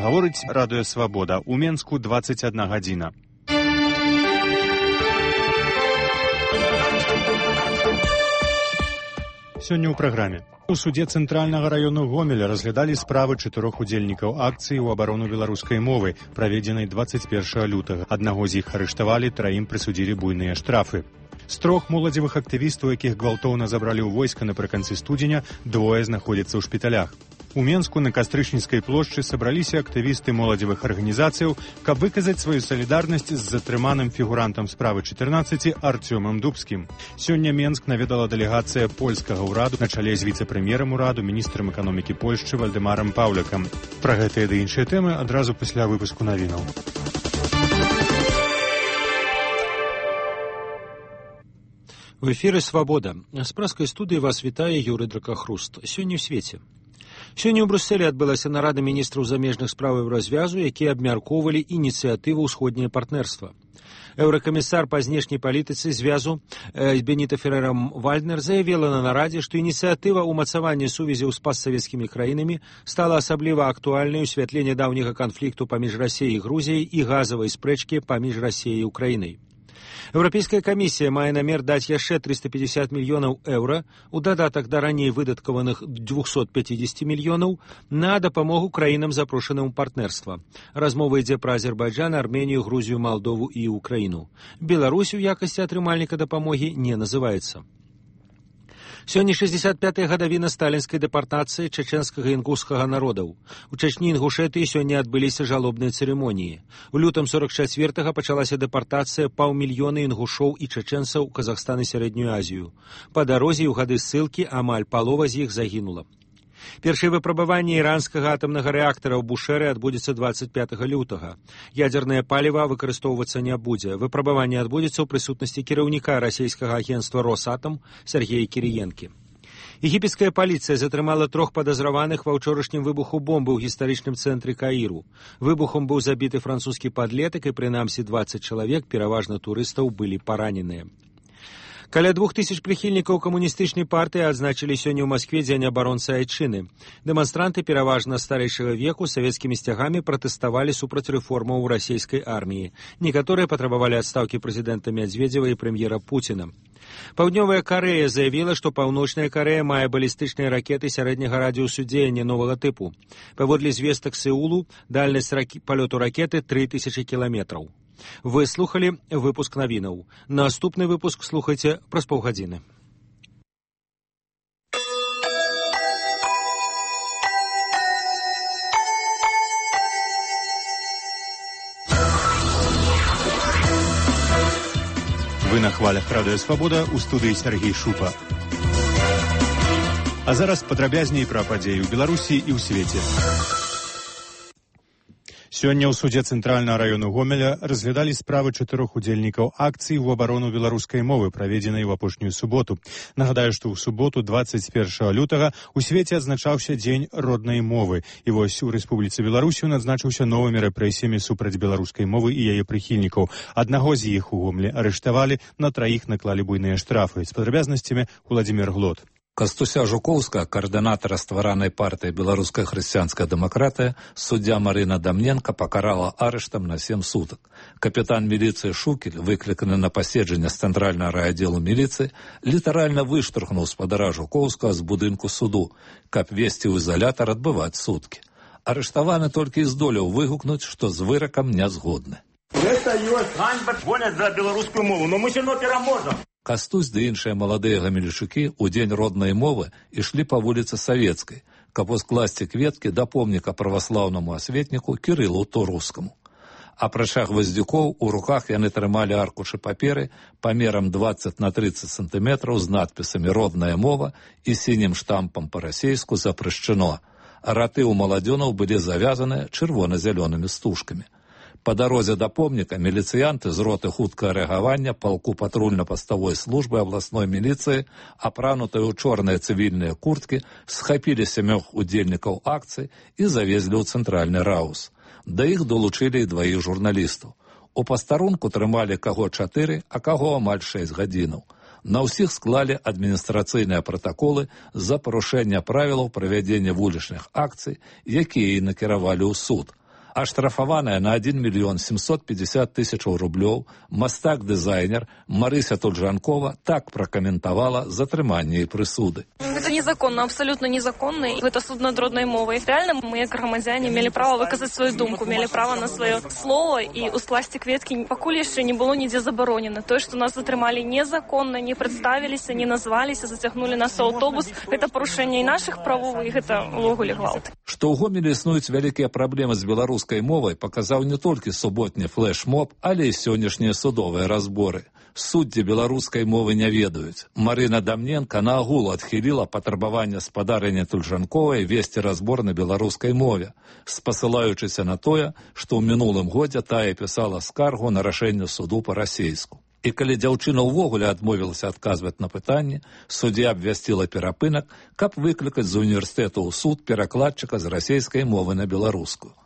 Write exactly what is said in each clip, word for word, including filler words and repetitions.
Гаворыць радыё «Свабода». У Менску дваццаць адна гадзіна. Сёння ў праграме. У судзе Цэнтральнага раёну Гомеля разглядалі справы чатырох удзельнікаў акцыі ў абарону беларускай мовы, праведзенай дваццаць першага лютага. Аднаго з іх арыштавалі, траім прысудзілі буйныя штрафы. З трох моладзевых актывістаў, якіх гвалтоўна забралі ў войска напрыканцы студзеня, двое знаходзяцца ў шпіталях. У Менску на Кастрычніцкай плошчы сабраліся актывісты моладзевых арганізацыяў, каб выказаць сваю салідарнасць з затрыманым фігурантам справы чатырнаццаці Артёмам Дубскім. Сёння Менск наведала дэлегацыя польскага ўраду на чале з віцэ-прэм'ерам ураду, міністрам эканомікі Польшчы Вальдэмарам Паўлякам. Пра гэтыя ды іншыя тэмы адразу пасля выпуску навінаў. В эфіры «Свабода». З праскай студыі вас вітае Юрый Дракахруст. Сёння ў свеце. Сёння ў Брюсселі адбылася нарада міністраў замежных справаў развязу, якія абмяркоўвалі ініцыятыву ўсходняе партнерства. Еўракамісар па знешняй палітыцы звязу э, Беніта Феррера-Вальднер заявила на нарадзе, што ініцыятыва ўмацавання сувязяў з пастсавецкімі краінамі стала асабліва актуальнай у святле нядаўняга канфлікту паміж Расіяй і Грузіяй і газавай спрэчкі паміж Расіяй і Украінай. Еўрапейская камісія мае намер даць яшчэ трыста пятьдесят мільёнаў еўра у дадатак да раней выдаткаваных двухсот пятидесяти мільёнаў на дапамогу краінам запрошаным у партнерства. Размова ідзе пра Азербайджан, Арменію, Грузію, Малдову і Украіну. Беларусь у якасці атрымальніка дапамогі не называецца. Сёння шэсцьдзесят пятая гадавіна сталінскай дэпартацыі чачэнскага і інгушскага народаў. У Чачні і Інгушэтыі сёння адбыліся жалобныя цырымоніі. У лютым сорок чацвёртага пачалася дэпартацыя паўмільёна інгушоў і чачэнцаў у Казахстан і Сярэднюю Азію. Па дарозе ў гады ссылкі амаль палова з іх загінула. Першае выпрабаванне іранскага атамнага рэактара ў Бушэры адбудзецца дваццаць пятага лютага. Ядзернае паліва выкарыстоўвацца не будзе. Выпрабаванне адбудзецца ў прысутнасці кіраўніка расійскага агенцтва «Росатом» Сергея Кіріенкі. Егіпецкая паліцыя затрымала трох падазраваных ва ўчорашнім выбуху бомбы ў гістарычным цэнтры Каіру. Выбухом быў забіты французскі падлетак і прынамсі дваццаць чалавек, пераважна турыстаў, былі параненыя. Каля двух тысяч прыхільнікаў камуністычнай партыі адзначылі сёння ў Маскве дзень абаронцы айчыны. Дэманстранты пераважна старэйшага веку савецкімі сцягамі пратэставалі супраць рэформаў у расійскай арміі. Некаторыя патрабавалі адстаўкі прэзідэнта Мядзведзева і прэм'ера Пуціна. Паўднёвая Карэя заявіла, што Паўночная Карэя мае балістычныя ракеты сярэдняга радыусу дзеяння новага тыпу. Паводле звестак Сеулу, дальнасць ракі... палёту ракеты тры тысячы кіламетраў. Вы слухали выпуск навінаў. Наступны выпуск слухайце праз паўгадзіны. Вы на хвалях радыё «Свабода», у студыі Сергей Шупа. А зараз падрабязней пра падзеі ў Беларусі і ў свеце. Сёння ў судзе Цэнтральнага раёну Гомеля разглядалі справы чатырох удзельнікаў акцыі ў абарону беларускай мовы, праведзенай у апошнюю суботу. Нагадаю, што ў суботу дваццаць першага лютага у свеце адзначаўся дзень роднай мовы. І вось у Рэспубліцы Беларусь ён адзначыўся новымі рэпрэсіямі супраць беларускай мовы і яе прыхільнікаў. Аднаго з іх у Гомелі арыштавалі, на траіх наклалі буйныя штрафы. З падрабязнасцямі Уладзімір Глот. Кастуся Жукоўска, координатора створаной партии «Белорусская христианская демократия», судья Марина Дамненко покарала арештом на семь суток. Капитан милиции Шукель, выкликанный на поседження з центрального райотделу милиции, литерально выштурхнул спадара Жукоўскага з будынку суду, каб весці ў изолятор отбывать сутки. Арыштаваны толькі і здолеў выгукнуць, што з выракам не згодны. Гэта ёсць ганьба, гоняць за беларускую мову, но мы сёння пераможам. Кастусь ды іншыя маладыя гамельчукі ў дзень роднай мовы ішлі па вуліцы Савецкай, каб ускласці кветкі да помніка праваслаўнаму асветніку Кірылу Торускаму. Апрача гваздзюкоў, у руках яны трымалі аркушы паперы памерам дваццаць на трыццаць сантыметраў з надпісамі «Родная мова» і сінім штампам па-расейску «Запрашчано». Раты ў маладзёнаў былі завязаны чырвона-зялёнымі стужкамі. Па дарозе да помніка міліцыянты з роты хуткага рэагавання палку патрульна-паставой службы абласной міліцыі, апранутыя ў чорныя цывільныя курткі, схапілі сямёх удзельнікаў акцыі і завезлі ў цэнтральны раус. Да іх долучылі і дваіх журналістаў. У пастарунку трымалі каго чатыры, а каго амаль шэсць гадзінаў. На ўсіх склалі адміністрацыйныя пратаколы за парушэнне правілаў правядзення вулічных акцый, якія і накіравалі ў суд. Аштрафаваная на один миллион семьсот пятьдесят тысяч рублёў мастак-дызайнер Марыся Тульжанкова так прокомментовала затрыманне и прысуды. Это незаконно, абсолютно незаконно. И это суд над родной мовой. Реально мы, как громадяне, имели право выказать свою думку, имели право на свое слово. И ускласти кветки покуль еще не было нигде заборонено. То, что нас затрымали незаконно, не представились, не назвались, затягнули нас в автобус. Это порушение и наших правов, и это увогуле гвалт. Што ў Гомелі існуюць вялікія праблемы з беларускай мовай, паказаў не толькі суботні флэш-моб, але і сённяшнія судовыя разборы. Суддзі беларускай мовы не ведаюць. Марына Дамненко наогул адхіліла патрабаванне спадарыня Тульжанковай весці разбор на беларускай мове, спасылаючыся на тое, што ў мінулым годзе тая пісала скаргу на рашэнне суду па-расейску. І калі дзяўчына ўвогуле адмовілася адказваць на пытанні, суддзя абвясціла перапынак, каб выклікаць з універсітэту ў суд перакладчыка з расейскай мовы на беларускую.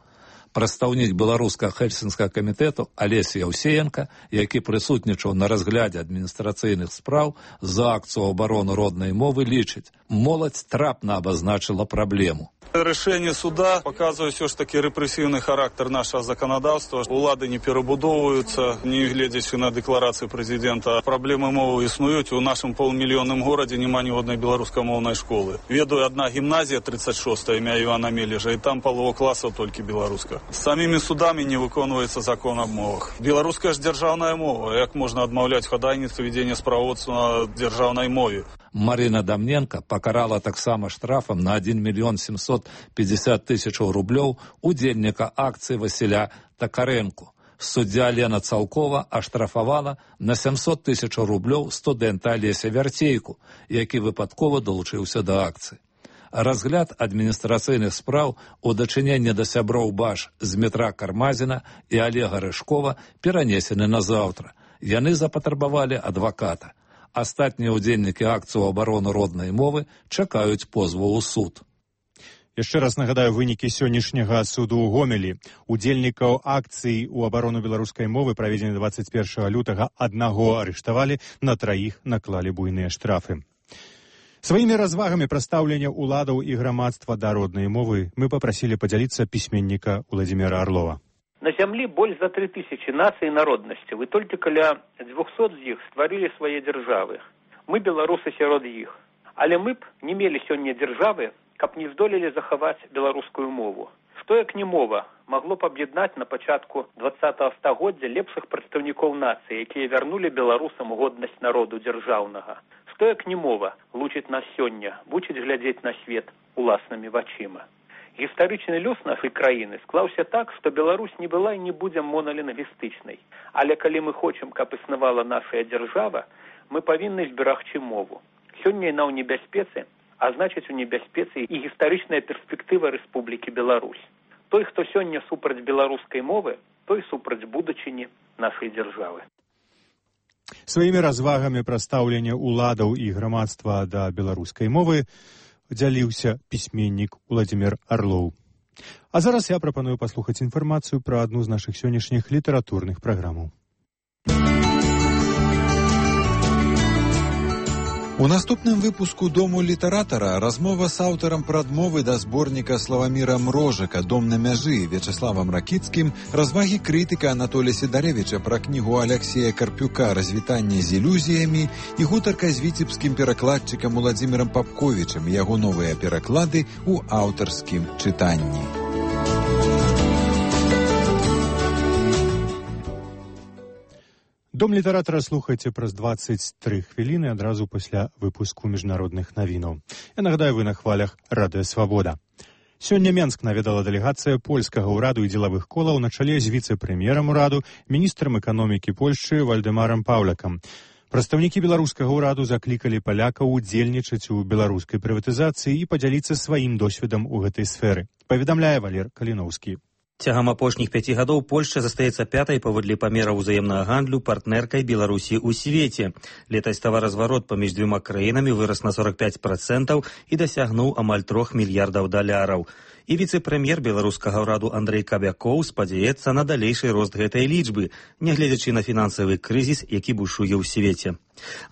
Прадстаўнік беларускага хельсінскага камітэту Алесь Яўсеенка, які прысутнічаў на разглядзе адміністрацыйных спраў за акцыю абароны роднай мовы, лічыць, моладзь трапна абазначыла праблему. Рішэнне суда паказвае ўсё ж такі рэпрэсіўны характар нашага заканадаўства. Улады не перабудоўваюцца, не гледзячы на дэкларацыю прэзідэнта. Праблемы мовы існуюць. У нашым паўмільённым горадзе няма ні однай беларускамоўнай школы. Ведаю, адна гімназія тридцать шостая імя Івана Мележа, і там палова класаў толькі беларуска. З самімі судамі не выконваецца закон аб мовах. Беларуская ж дзяржаўная мова. Як можна адмаўляць хадайніцтва вядзення справаводства на дзяржаўнай мове? Марына Дамненко пакарала таксама штрафам на один миллион семьсот пятьдесят тысяч рублёў удзельніка акцыі Васіля Такаренку. Суддзя Лена Цалкова аштрафавала на семьсот тысяч рублёў студэнта Алеся Вярцейку, які выпадкова далучыўся да акцыі. Разгляд адміністрацыйных спраў у дачыненні да сяброў БАШ Змітра Кармазіна і Олега Рыжкова перанесены на заўтра. Яны запатрабавалі адваката. Астатнія ўдзельнікі акцыю абароны роднай мовы чакаюць позву ў суд. Яшчэ раз нагадаю вынікі сённяшняга суду ў Гомелі. Удзельнікаў акцыі ў абарону беларускай мовы, праведзены двадцать першага лютага, аднаго арыштавалі, на траіх наклалі буйныя штрафы. Сваімі развагамі прадстаўлення ўладаў і грамадства да роднай мовы мы папрасілі падзяліцца пісьменніка Уладзіміра Арлова. На зямлі больш за три тысячи нацый і народнасцяў, і толькі каля двухсот з іх стварылі свае дзяржавы. Мы беларусы сярод іх. Але мы б не мелі сёння дзяржавы, каб не здолелі захаваць беларускую мову. Што як не мова магло б аб'яднаць на пачатку двадцатага стагоддзя лепшых прадстаўнікоў нацыі, якія вярнулі беларусам годнасць народу дзяржаўнага. Што як не мова лучыць нас сёння, вучыць глядзець на свет уласнымі вачыма. Гістарычны лёс нашай краіны склаўся так, што Беларусь не была і не будзе монолінгвістычнай. Але калі мы хочам, каб існавала наша дзяржава, мы павінны зберагчы мову. Сёння яна ў небяспецы, а значыць у небяспецы і гістарычная перспектыва Рэспублікі Беларусь. Той, хто сёння супраць беларускай мовы, той супраць будучыні нашай дзяржавы. Сваімі развагамі прадстаўлення ўладаў і грамадства да беларускай мовы дзяліўся пісьменнік Уладзімір Арлоў. А зараз я прапаную паслухаць інфармацыю пра адну з нашых сённяшніх літаратурных праграмаў. У наступным выпуску «Дому літаратара» размова з аўтарам прадмовы да зборніка Славаміра Мрожака «Дом на мяжы» Вячеславам Ракіцкім, развагі крытыка Анатолія Сідарэвіча пра кнігу Аляксея Карпюка «Развітанне з ілюзіямі» і гутарка з віцебскім перакладчыкам Уладзімірам Папковічам, яго новыя пераклады ў аўтарскім чытанні. Дом літаратара слухайце праз двадцать три хвіліны адразу пасля выпуску міжнародных навінаў. Я нагадаю, вы на хвалях Радыё Свабода. Сёння Менск наведала дэлегацыя польскага ўраду і дзелавых колаў на чале з віцэ-прэм'ерам ураду, міністрам эканомікі Польшчы Вальдэмарам Паўлякам. Прадстаўнікі беларускага ўраду заклікалі палякаў удзельнічаць у беларускай прыватызацыі і падзяліцца сваім досведам у гэтай сферы. Паведамляе Валер Каліноўскі. Цягам апошніх пяці гадоў Польшча застаецца пятай паводле памераў узаемнага гандлю партнеркай Беларусі ў свеце. Летась таваразварот паміж дзвюма краінамі вырас на сорок пять процентаў і дасягнуў амаль трох мільярдаў даляраў. І віцэ-прэм'ер беларускага ўраду Андрэй Кабякоў спадзяецца на далейшы рост гэтай лічбы, нягледзячы на фінансавы крызіс, які бушуе ў свеце.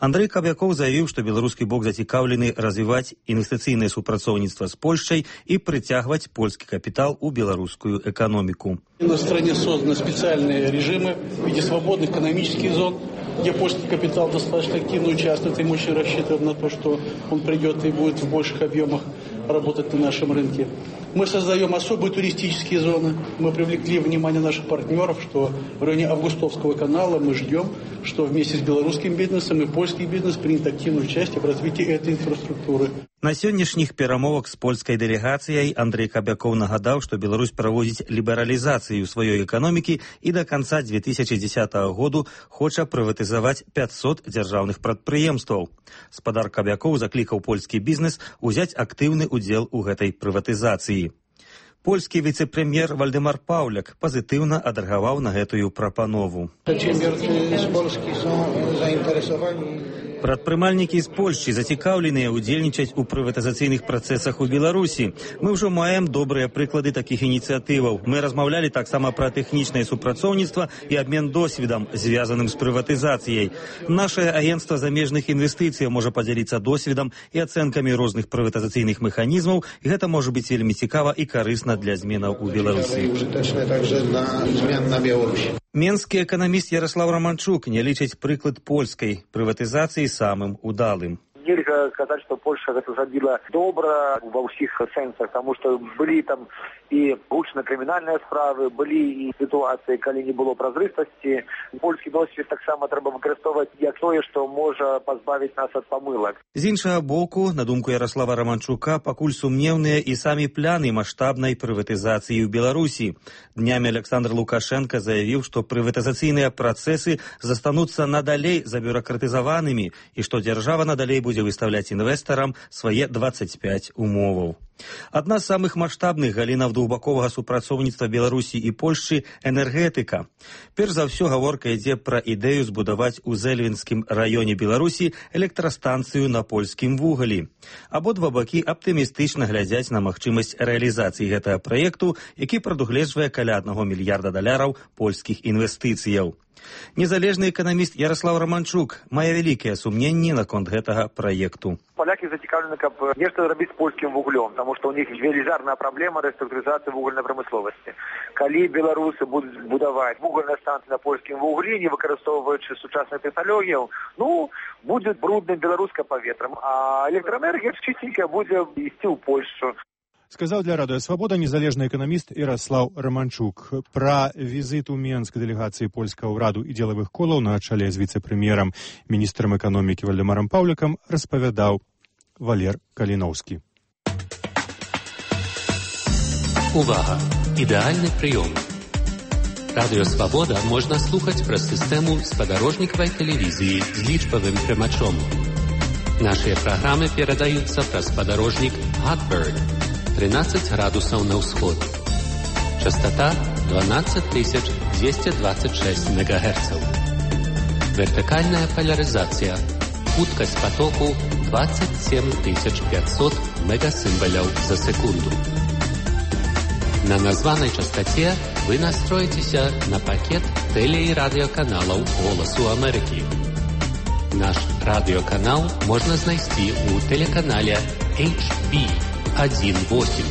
Андрэй Кабякоў заявіў, што беларускі бок зацікаўлены развіваць інвестыцыйнае супрацоўніцтва з Польшчай і прыцягваць польскі капітал у беларускую эканоміку. На стране созданы специальные режимы в виде свободных экономических зон, где польский капитал достаточно активно участвует, и мы очень рассчитываем на то, что он придет и будет в больших объемах работать на нашем рынке. Мы создаем особые туристические зоны. Мы привлекли внимание наших партнеров, что в районе Августовского канала мы ждем, что вместе с белорусским бизнесом и польский бизнес примет активное участие в развитии этой инфраструктуры. На сённяшніх перамовах з польскай дэлегацыяй Андрэй Кабякоў нагадаў, што Беларусь праводзіць лібералізацыю сваёй эканомікі і да канца дзве тысячы дзесятага году хоча прыватызаваць пятьсот дзяржаўных прадпрыемстваў. Спадар Кабякоў заклікаў польскі бізнес узяць актыўны удзел у гэтай прыватызацыі. Польскі віцэ-прэм'ер Вальдэмар Паўляк пазітыўна адрэагаваў на гэтую прапанову. Прадпрымальнікі з Польшчы зацікаўленыя ўдзельнічаць у прыватызацыйных працэсах у Беларусі. Мы ўжо маем добрыя прыклады такіх ініцыятываў. Мы размаўлялі таксама пра тэхнічнае супрацоўніцтва і абмен досведам, звязаным з прыватызацыяй. Нашае агенцтва замежных інвестыцый можа падзяліцца досведам і ацэнкамі розных прыватызацыйных механізмаў, і гэта можа быць вельмі цікава і карысна для зменаў у Беларусі. Менскі эканаміст Ярослав Романчук не лічыць прыклад польскай прыватызацыі самым удалым. Нельга сказаць, што Польша гэта зрабіла добра ва ўсіх сэнсах, таму што былі там і гучна-крымінальныя справы, былі і сітуацыі, калі не было празрыстасці. Польскі досвед таксама трэба выкарыстоўваць як тое, што можа пазбавіць нас ад памылак. З іншага боку, на думку Ярослава Романчука, пакуль сумнеўныя і самі пляны маштабнай прыватызацыі ў Беларусі. Днямі Александр Лукашенко заявіў, што прыватызацыйныя працэсы застануцца надалей забюракратызаванымі і што дзяржава надалей будзе выставляць інвестарам свае дваццаць пяць умоваў. Адна з самых маштабных галінаў двухбаковага супрацоўніцтва Беларусі і Польшчы – энергетыка. Перш за ўсё гаворка ідзе пра ідэю збудаваць у Зэльвінскім раёне Беларусі электрастанцыю на польскім вугалі. Абодва бакі аптымістычна глядзяць на магчымасць рэалізацыі гэтага праекту, які прадугледжвае каля аднаго мільярда даляраў польскіх інвестыцыяў. Незалежны эканаміст Ярослав Романчук мае вялікія сумненні наконт гэтага праекту. Палякі зацікаўлены, каб нешта зрабіць з польскім вуглем, таму што ў них велізарная праблема рэструктурызацыі вугальнай прамысловасці. Калі беларусы будуць будаваць вугальныя станцыі на польскім вуглі, не выкарыстоўваючы сучасных тэхналогіяў, ну, будзе брудным беларускае паветрам, а электраэнергія чыстенькая будзе ісці ў Польшчу. Сказаў для Радыё Свабода незалежны эканаміст Ярослав Романчук. Пра візіт у Менск дэлегацыі польскага ўраду і дзелавых колаў на чале з віцэ-прэм'ерам, міністрам эканомікі Вальдэмарам Паўлякам распавядаў Валер Каліноўскі. Увага! Ідэальны прыём. Радыё Свабода можна слухаць праз сістэму спадарожнікавай тэлевізіі з лічбавым прымачом. Нашыя праграмы перадаюцца праз спадарожнік Hotbird тринадцать градусаў на ўсход. Частота дванадцать тысяч двести двадцать шесть мегагерцаў. Вертыкальная поляризация. Хуткасць потоку двадцать семь тысяч пятьсот мегасимволяў за секунду. На названай частоте вы настроитеся на пакет теле- и радиоканалаў Голосу Америки. Наш радиоканал можно знайсці у телеканале эйч би один восемь,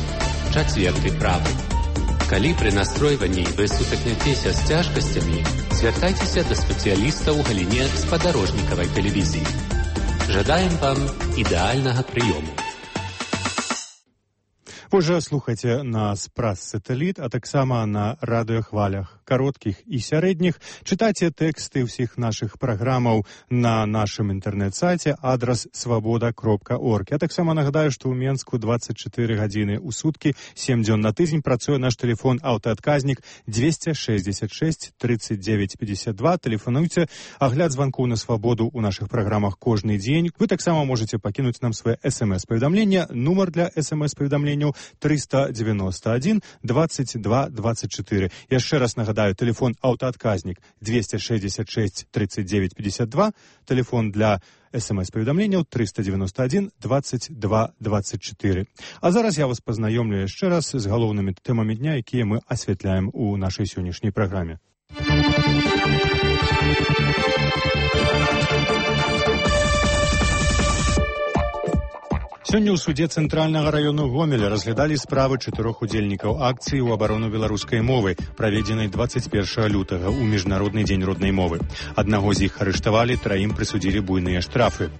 чацверты правы. Калі пры настройванні вы сутыкнецеся з цяжкасцямі, звяртайцеся да спецыяліста ў галіне спадарожнікавай тэлевізіі. Жадаем вам ідэальнага прыёму. Вы же слухаце нас праз сатэліт, а таксама на радыёхвалях кароткіх і сярэдніх. Чытайце тэксты ўсіх нашых праграмаў на нашым інтэрнэт-сайце адрас свабода кропка орг. Я таксама нагадаю, што ў Менску двадцать четыре гадзіны ў суткі, сем дзён на тыдзень працуе наш тэлефон аўтаадказнік двести шестьдесят шесть тридцать девять пятьдесят два. Тэлефануйце, агляд званкоў на свабоду ў нашых праграмах кожны дзень. Вы таксама можаце пакінуць нам свае эс эм эс-паведамлення. Нумар для эс эм эс-паведамленняў триста девяносто один двадцать два двадцать четыре. Яшчэ раз нагадаю, телефон аўтаадказнік двести шестьдесят шесть тридцать девять пятьдесят два, телефон для смс-паведамленняў триста девяносто один двадцать два двадцать четыре. А зараз я вас пазнаёмлю яшчэ раз з галоўнымі тэмамі дня, якія мы асвятляем у нашай сённяшняй праграме. Сёння ў судзе Цэнтральнага раёну Гомеля разглядалі справы чатырох удзельнікаў акцыі ў абарону беларускай мовы, праведзенай двадцать першага лютага ў міжнародны дзень роднай мовы. Аднаго з іх арыштавалі, траім прысудзілі буйныя штрафы.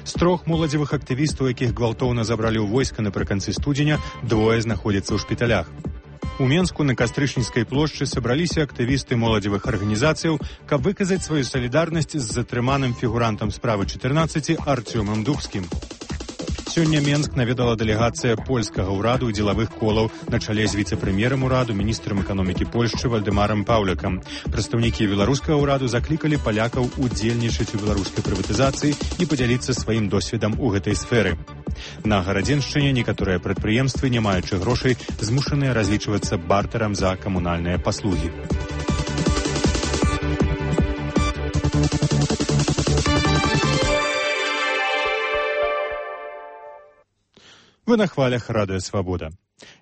З трох моладзевых актывістаў, якіх гвалтоўна забралі ў войска напрыканцы студзеня, двое знаходзяцца ў шпіталях. У Менску на Кастрычніцкай плошчы сабраліся актывісты моладзевых арганізацыяў, каб выказаць сваю салідарнасць з затрыманым фігурантам справы чатырнаццаці Арцёмам Дубскім. Сёння Менск наведала дэлегацыя польскага ўраду і дзелавых колаў на чале з віцэ-прэм'ерам ураду, міністрам эканомікі Польшчы Вальдэмарам Паўлякам. Прадстаўнікі беларускага ўраду заклікалі палякаў удзельнічаць у беларускай прыватызацыі і падзяліцца сваім досведам у гэтай сферы. На Гарадзеншчыне некаторыя прадпрыемствы, не маючы грошай, змушаныя разлічвацца бартэрам за камунальныя паслугі. Вы на хвалях радыё «Свабода».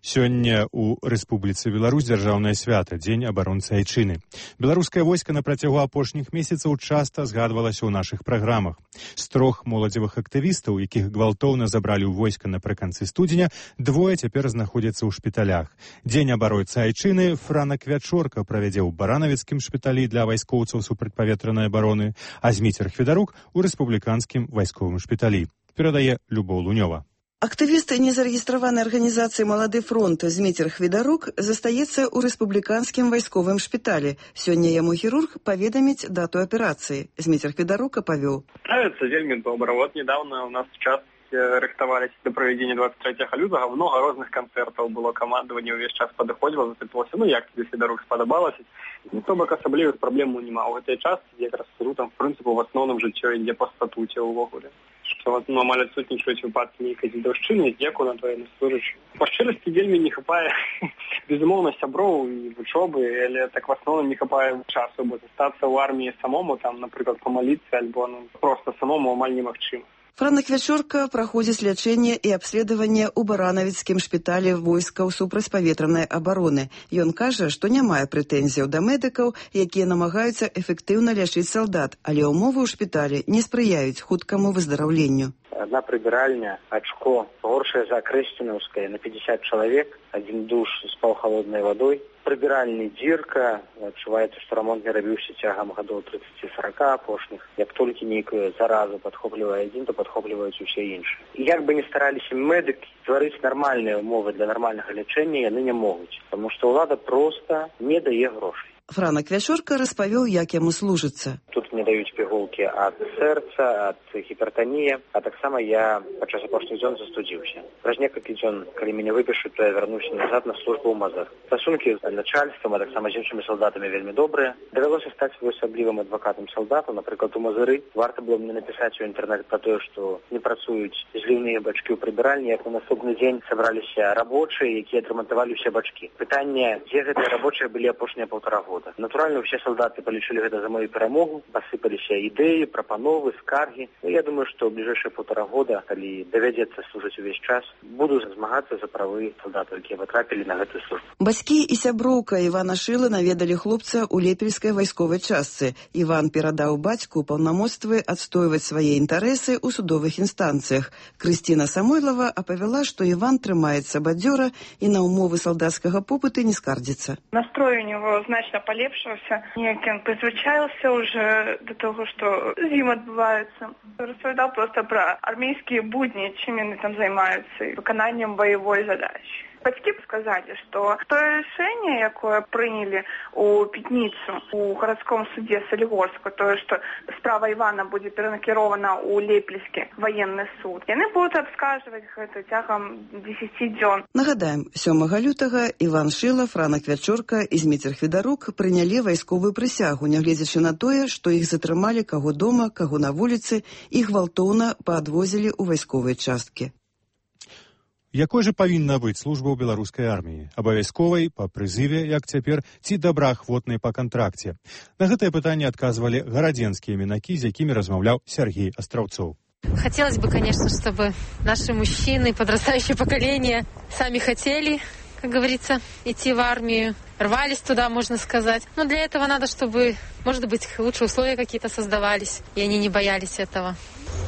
Сёння ў Рэспубліцы Беларусь дзяржаўнае свята, дзень абаронцы айчыны. Беларускае войска на працягу апошніх месяцаў часта згадвалася ў нашых праграмах. З трох моладзевых актывістаў, якіх гвалтоўна забралі ў войска напрыканцы студзеня, двое цяпер знаходзяцца ў шпіталях. Дзень абаронцы айчыны Франак Вячорка правядзе ў баранавіцкім шпіталі для вайскоўцаў супрацьпаветранай абароны, а Зміцер Хведарук у рэспубліканскім вайсковым шпіталі. Перадае Любоў Лунёва. Актывіст незарэгістраванай арганізацыі «Малады фронт» Зміцер Хведарук застаецца ў рэспубліканскім вайсковым шпіталі. Сёння яму хірург паведаміць дату аперацыі. Зміцер Хведарук апавёў. Справіцца вельмі добра. Вот недавно у нас в час рыхтаваліся да правядзення двадцать трэцяга лютага. Много розных канцэртаў было, камандаванне ўвесь час падыходзіла, запытвалася, ну як тебе, Федарук, спадабалася? Ну, то бок асаблівых праблем няма. У гэтай частцы якраз там, в прынцыпу, в асноўным жыццё ідзе па статуце ўвогуле. Што ну, амаль адсутнічаюць выпадкі нейкай дзедаўшчыны, дзеку на твоей служачы. Па шчырасці вельмі не хапае, безумоўна, сяброў і вучобы, але так в асноўным не хапае часу, бо застацца ў арміі самому, там, напрыклад, памаліцца, альбо ну, проста самому амаль немагчыма. Франак Вячорка праходзіць лячэнне і абследаванне ў баранавіцкім шпіталі войскаў супрацьпаветранай абароны. Ён кажа, што не мае прэтэнзіяў да медыкаў, якія намагаюцца эфектыўна лячыць салдат, але ўмовы ў шпіталі не спрыяюць хуткаму выздараўленню. Одна прибиральня, очко, горшая за Крестиновская на пятьдесят человек, один душ с полхолодной водой. Прибиральня дырка, адчуваецца, што рамонт не рабіўся цягам гадоў тридцать-сорок апошніх. Як толькі нейкую заразу падхоплівае адзін, то падхопліваюць усе іншыя. І як бы не стараліся медыкі стварыць нармальныя умовы для нармальнага лячэння, яны не могуць, таму што ўлада проста не дае грошай. Франак Вячорка распавёў, як яму служыцца. Тут мне даюць пігулкі ад сэрца, ад гіпертаніі, а таксама я падчас апошніх дзён застудзіўся. Праз некалькі дзён, калі мяне выпішуць, то я вярнуся назад на службу ў Мазыр. Стасункі з начальствам, а таксама з іншымі салдатамі вельмі добрыя. Давялося стаць асаблівым адвакатам салдату, напрыклад, у Мазыры. Варта было мне напісаць у інтэрнэт пра тое, што не працуюць зліўныя бачкі ў прыбіральні, як на наступны дзень сабраліся рабочыя, якія адрамантавалі ўсе бачкі. Пытанне, дзе гэтыя рабочыя былі апошнія паўтара года. Натуральна, ўсе салдаты палічылі гэта за мою перамогу, пасыпаліся ідэі, прапановы, скаргі. Ну, я думаю, што ў бліжэйшыя паўтара года, калі давядзецца служыць увесь час, буду змагацца за правы салдатаў, якія патрапілі на гэтую службу. Бацькі і сяброўка Івана Шылы наведалі хлопца ў лепельскай вайсковай частцы. Іван перадаў бацьку паўнамоцтвы адстойваць свае інтарэсы ў судовых інстанцыях. Крысціна Самойлова апавяла, што Іван трымаецца бадзёра і на умовы салдацкага попыту не скардзіцца. Настрой у него значна полепшился. Неяк он призвычаился уже до того, что зим отбывается. Рассказал просто про армейские будни, чем они там занимаются, и выконаннем боевой задачи. Бацькі сказалі, што тое рашэнне, якое прынялі ў пятніцу у гарадском судзе Салігорска, тое, што справа Івана будзе перанакірована ў лепельскі ваенны суд, яны будуць абскарджваць гэта цягам дзесяці дзён. Нагадаем, сёмага лютага Іван Шыла, Франак Вячорка і Зміцер Хведарук прынялі вайсковую прысягу, нягледзячы на тое, што іх затрымалі каго дома, каго на вуліцы, і гвалтоўна паадвозілі ў вайсковыя часткі. Якой жа павінна быць служба ў беларускай арміі? Абавязковай, па прызыве, як цяпер, ці добраахвотнай па кантракце? На гэтае пытанне адказвалі гарадзенскія мінакі, з якімі размаўляў Сергей Астраўцоў. Хотелось бы, конечно, чтобы наши мужчины, подрастающее поколение, сами хотели, как говорится, идти в армию, рвались туда, можно сказать. Но для этого надо, чтобы, может быть, лучшие условия какие-то создавались, и они не боялись этого.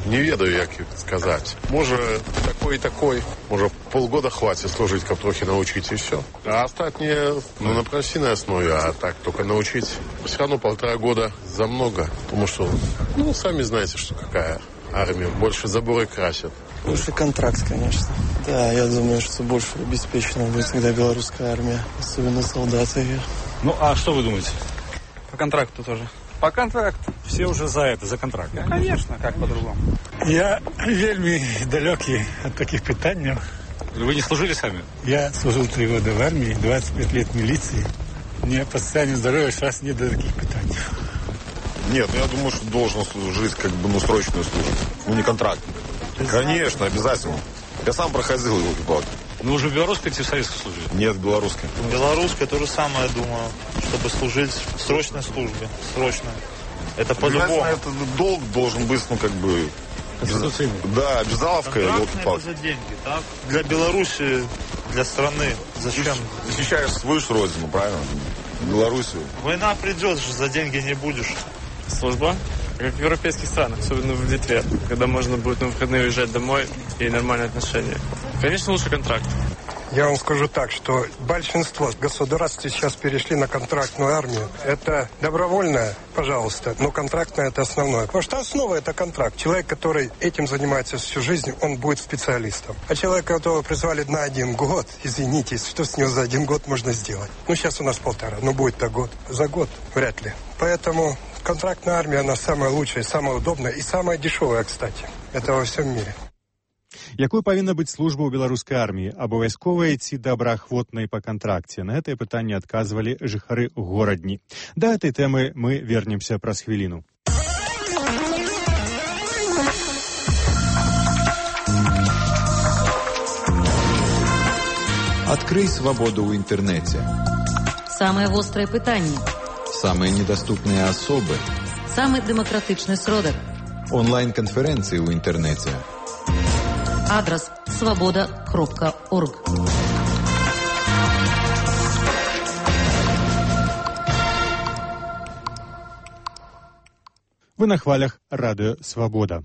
Не ведаю, як сказать. Може, такой и такой. Може, полгода хватит служить, как трохи научить, и все. А остальные, ну, на профессиональной основе, а так только научить. Все равно полтора года за много. Потому что, ну, сами знаете, что какая армия. Больше заборы красят. Лучше контракт, конечно. Да, я думаю, что больше обеспечена будет всегда белорусская армия. Особенно солдаты. Ну, а что вы думаете? По контракту тоже. По контракту. Все уже за это, за контракт. Ну, конечно, как по-другому. Я вельми далекий от таких питаний. Вы не служили сами? Я служил три года в армии, двадцать пять лет в милиции. Мне по состоянию здоровья сейчас не до таких питаний. Нет, ну я думаю, что должен служить как бы, ну, срочную службу. Ну, не контракт. Конечно, обязательно. Я сам проходил его, ребят. Ну, уже в белорусской или в советской служили? Нет, в белорусской. В белорусской то же самое, думаю, чтобы служить в срочной службе. Срочно. Это по-любому. Это долг должен быть, ну, как бы... Конституционный. Да, обязаловка. Это за деньги, так? Для Беларуси, для страны. Зачем? Защищаешь свою же родину, правильно? Белоруссию. Война придет, за деньги не будешь. Служба? Как в европейских странах, особенно в Литве, когда можно будет на выходные уезжать домой и нормальные отношения. Конечно, лучше контракт. Я вам скажу так, что большинство государств сейчас перешли на контрактную армию. Это добровольная, пожалуйста, но контрактная это основное. Потому что основа это контракт. Человек, который этим занимается всю жизнь, он будет специалистом. А человек, которого призвали на один год, извините, что с него за один год можно сделать? Ну, сейчас у нас полтора, но будет-то год. За год вряд ли. Поэтому контрактная армия, она самая лучшая, самая удобная и самая дешевая, кстати. Это во всем мире. Якой павінна быць служба ў беларускай арміі? Абавязковая ці добраахвотнай па кантракце? На гэтае пытанне адказвалі жыхары горадні. Да гэтай тэмы мы вернемся праз хвіліну. Открой свободу в интернете. Самое вострое пытание. Самые недоступные особы. Самый демократичный сродок. Онлайн-конференции в интернете. Адрес свобода кропка орг. Вы на хвалях радыё «Свабода».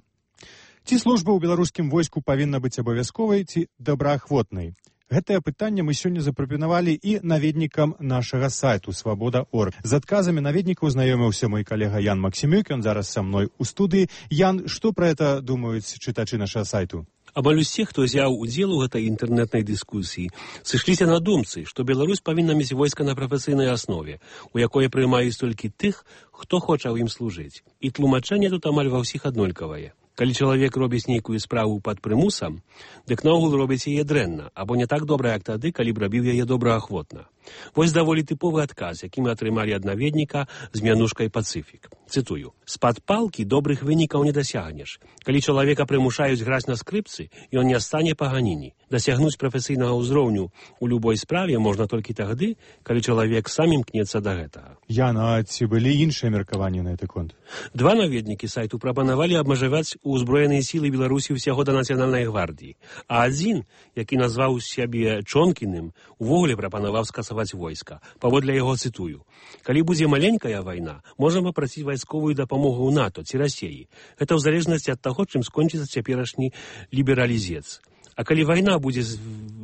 Ці служба ў беларускім войску павінна быць абавязковай ці добраахвотнай? Гэтае пытанне мы сёння запрапанавалі і наведнікам нашага сайту свабода точка орг. З адказамі наведнікаў знаёміўся мой калега Ян Максімюк, ён зараз са мной у студыі. Ян, што пра гэта думаюць чытачы нашага сайту? Амаль усе, хто взяў удзел у гэтай інтэрнэтнай дыскусіі, сышліся на думцы, што Беларусь павінна мець войска на прафесійнай аснове, у якое прымаюць толькі тых, хто хоча ў ім служыць. І тлумачэнне тут амаль ва ўсіх аднолькавае. Калі чалавек робіць нейкую справу пад прымусам, дык наогул робіць яе дрэнна, або не так добра, як тады, калі б рабіў яе добраахвотна. Вось даволі тыповы адказ, які мы атрымалі ад наведніка з мянушкай «Пацыфік». Цытую. «З-пад палкі добрых вынікаў не дасягнеш. Калі чалавека прымушаюць граць на скрыпцы, ён не стане паганіні. Дасягнуць прафесійнага ўзроўню ў любой справе можна толькі тагды, калі чалавек сам імкнецца да гэтага». Яна, ці былі іншыя меркаванні на гэты конт? Два наведнікі сайту прапанавалі абмежаваць узброеныя сілы Беларусі ўсяго да нацыянальнай гвардіі, а адзін, які назваў сябе Чонкіным, увогуле прапанаваў скасаваць войска. Паводле яго цытую. «Калі будзе маленькая вайна, можам папрасіць вайсковую дапамогу ў НАТО ці Расіі. Гэта ў залежнасці ад таго, чым скончыцца цяперашні лібералізец. А калі вайна будзе з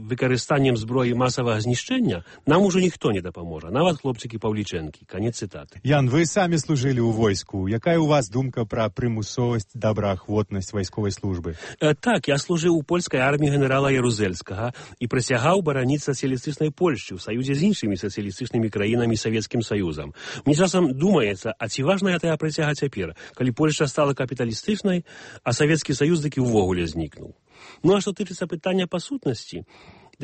выкарыстаннем зброі масавага знішчэння, нам ужо ніхто не дапаможа, нават хлопчыкі Паўлічэнкі». Канец цытаты. Ян, вы самі служылі ў войску. Якая у вас думка пра прымусовасць, добраахвотнасць вайсковай службы? Э, так, я служыў у польскай арміі генерала Ярузельскага і прысягаў бараніць сацыялістычнай Польшчы ў саюзе з іншымі сацыялістычнымі краінамі Савецкім Саюзам. Мне часам думаецца, а ці важная тая прысяга цяпер, калі Польшча стала капіталістычнай, а Савецкі Саюз такі ўвогуле знікнуў. Ну а што тычыцца пытання па сутнасці,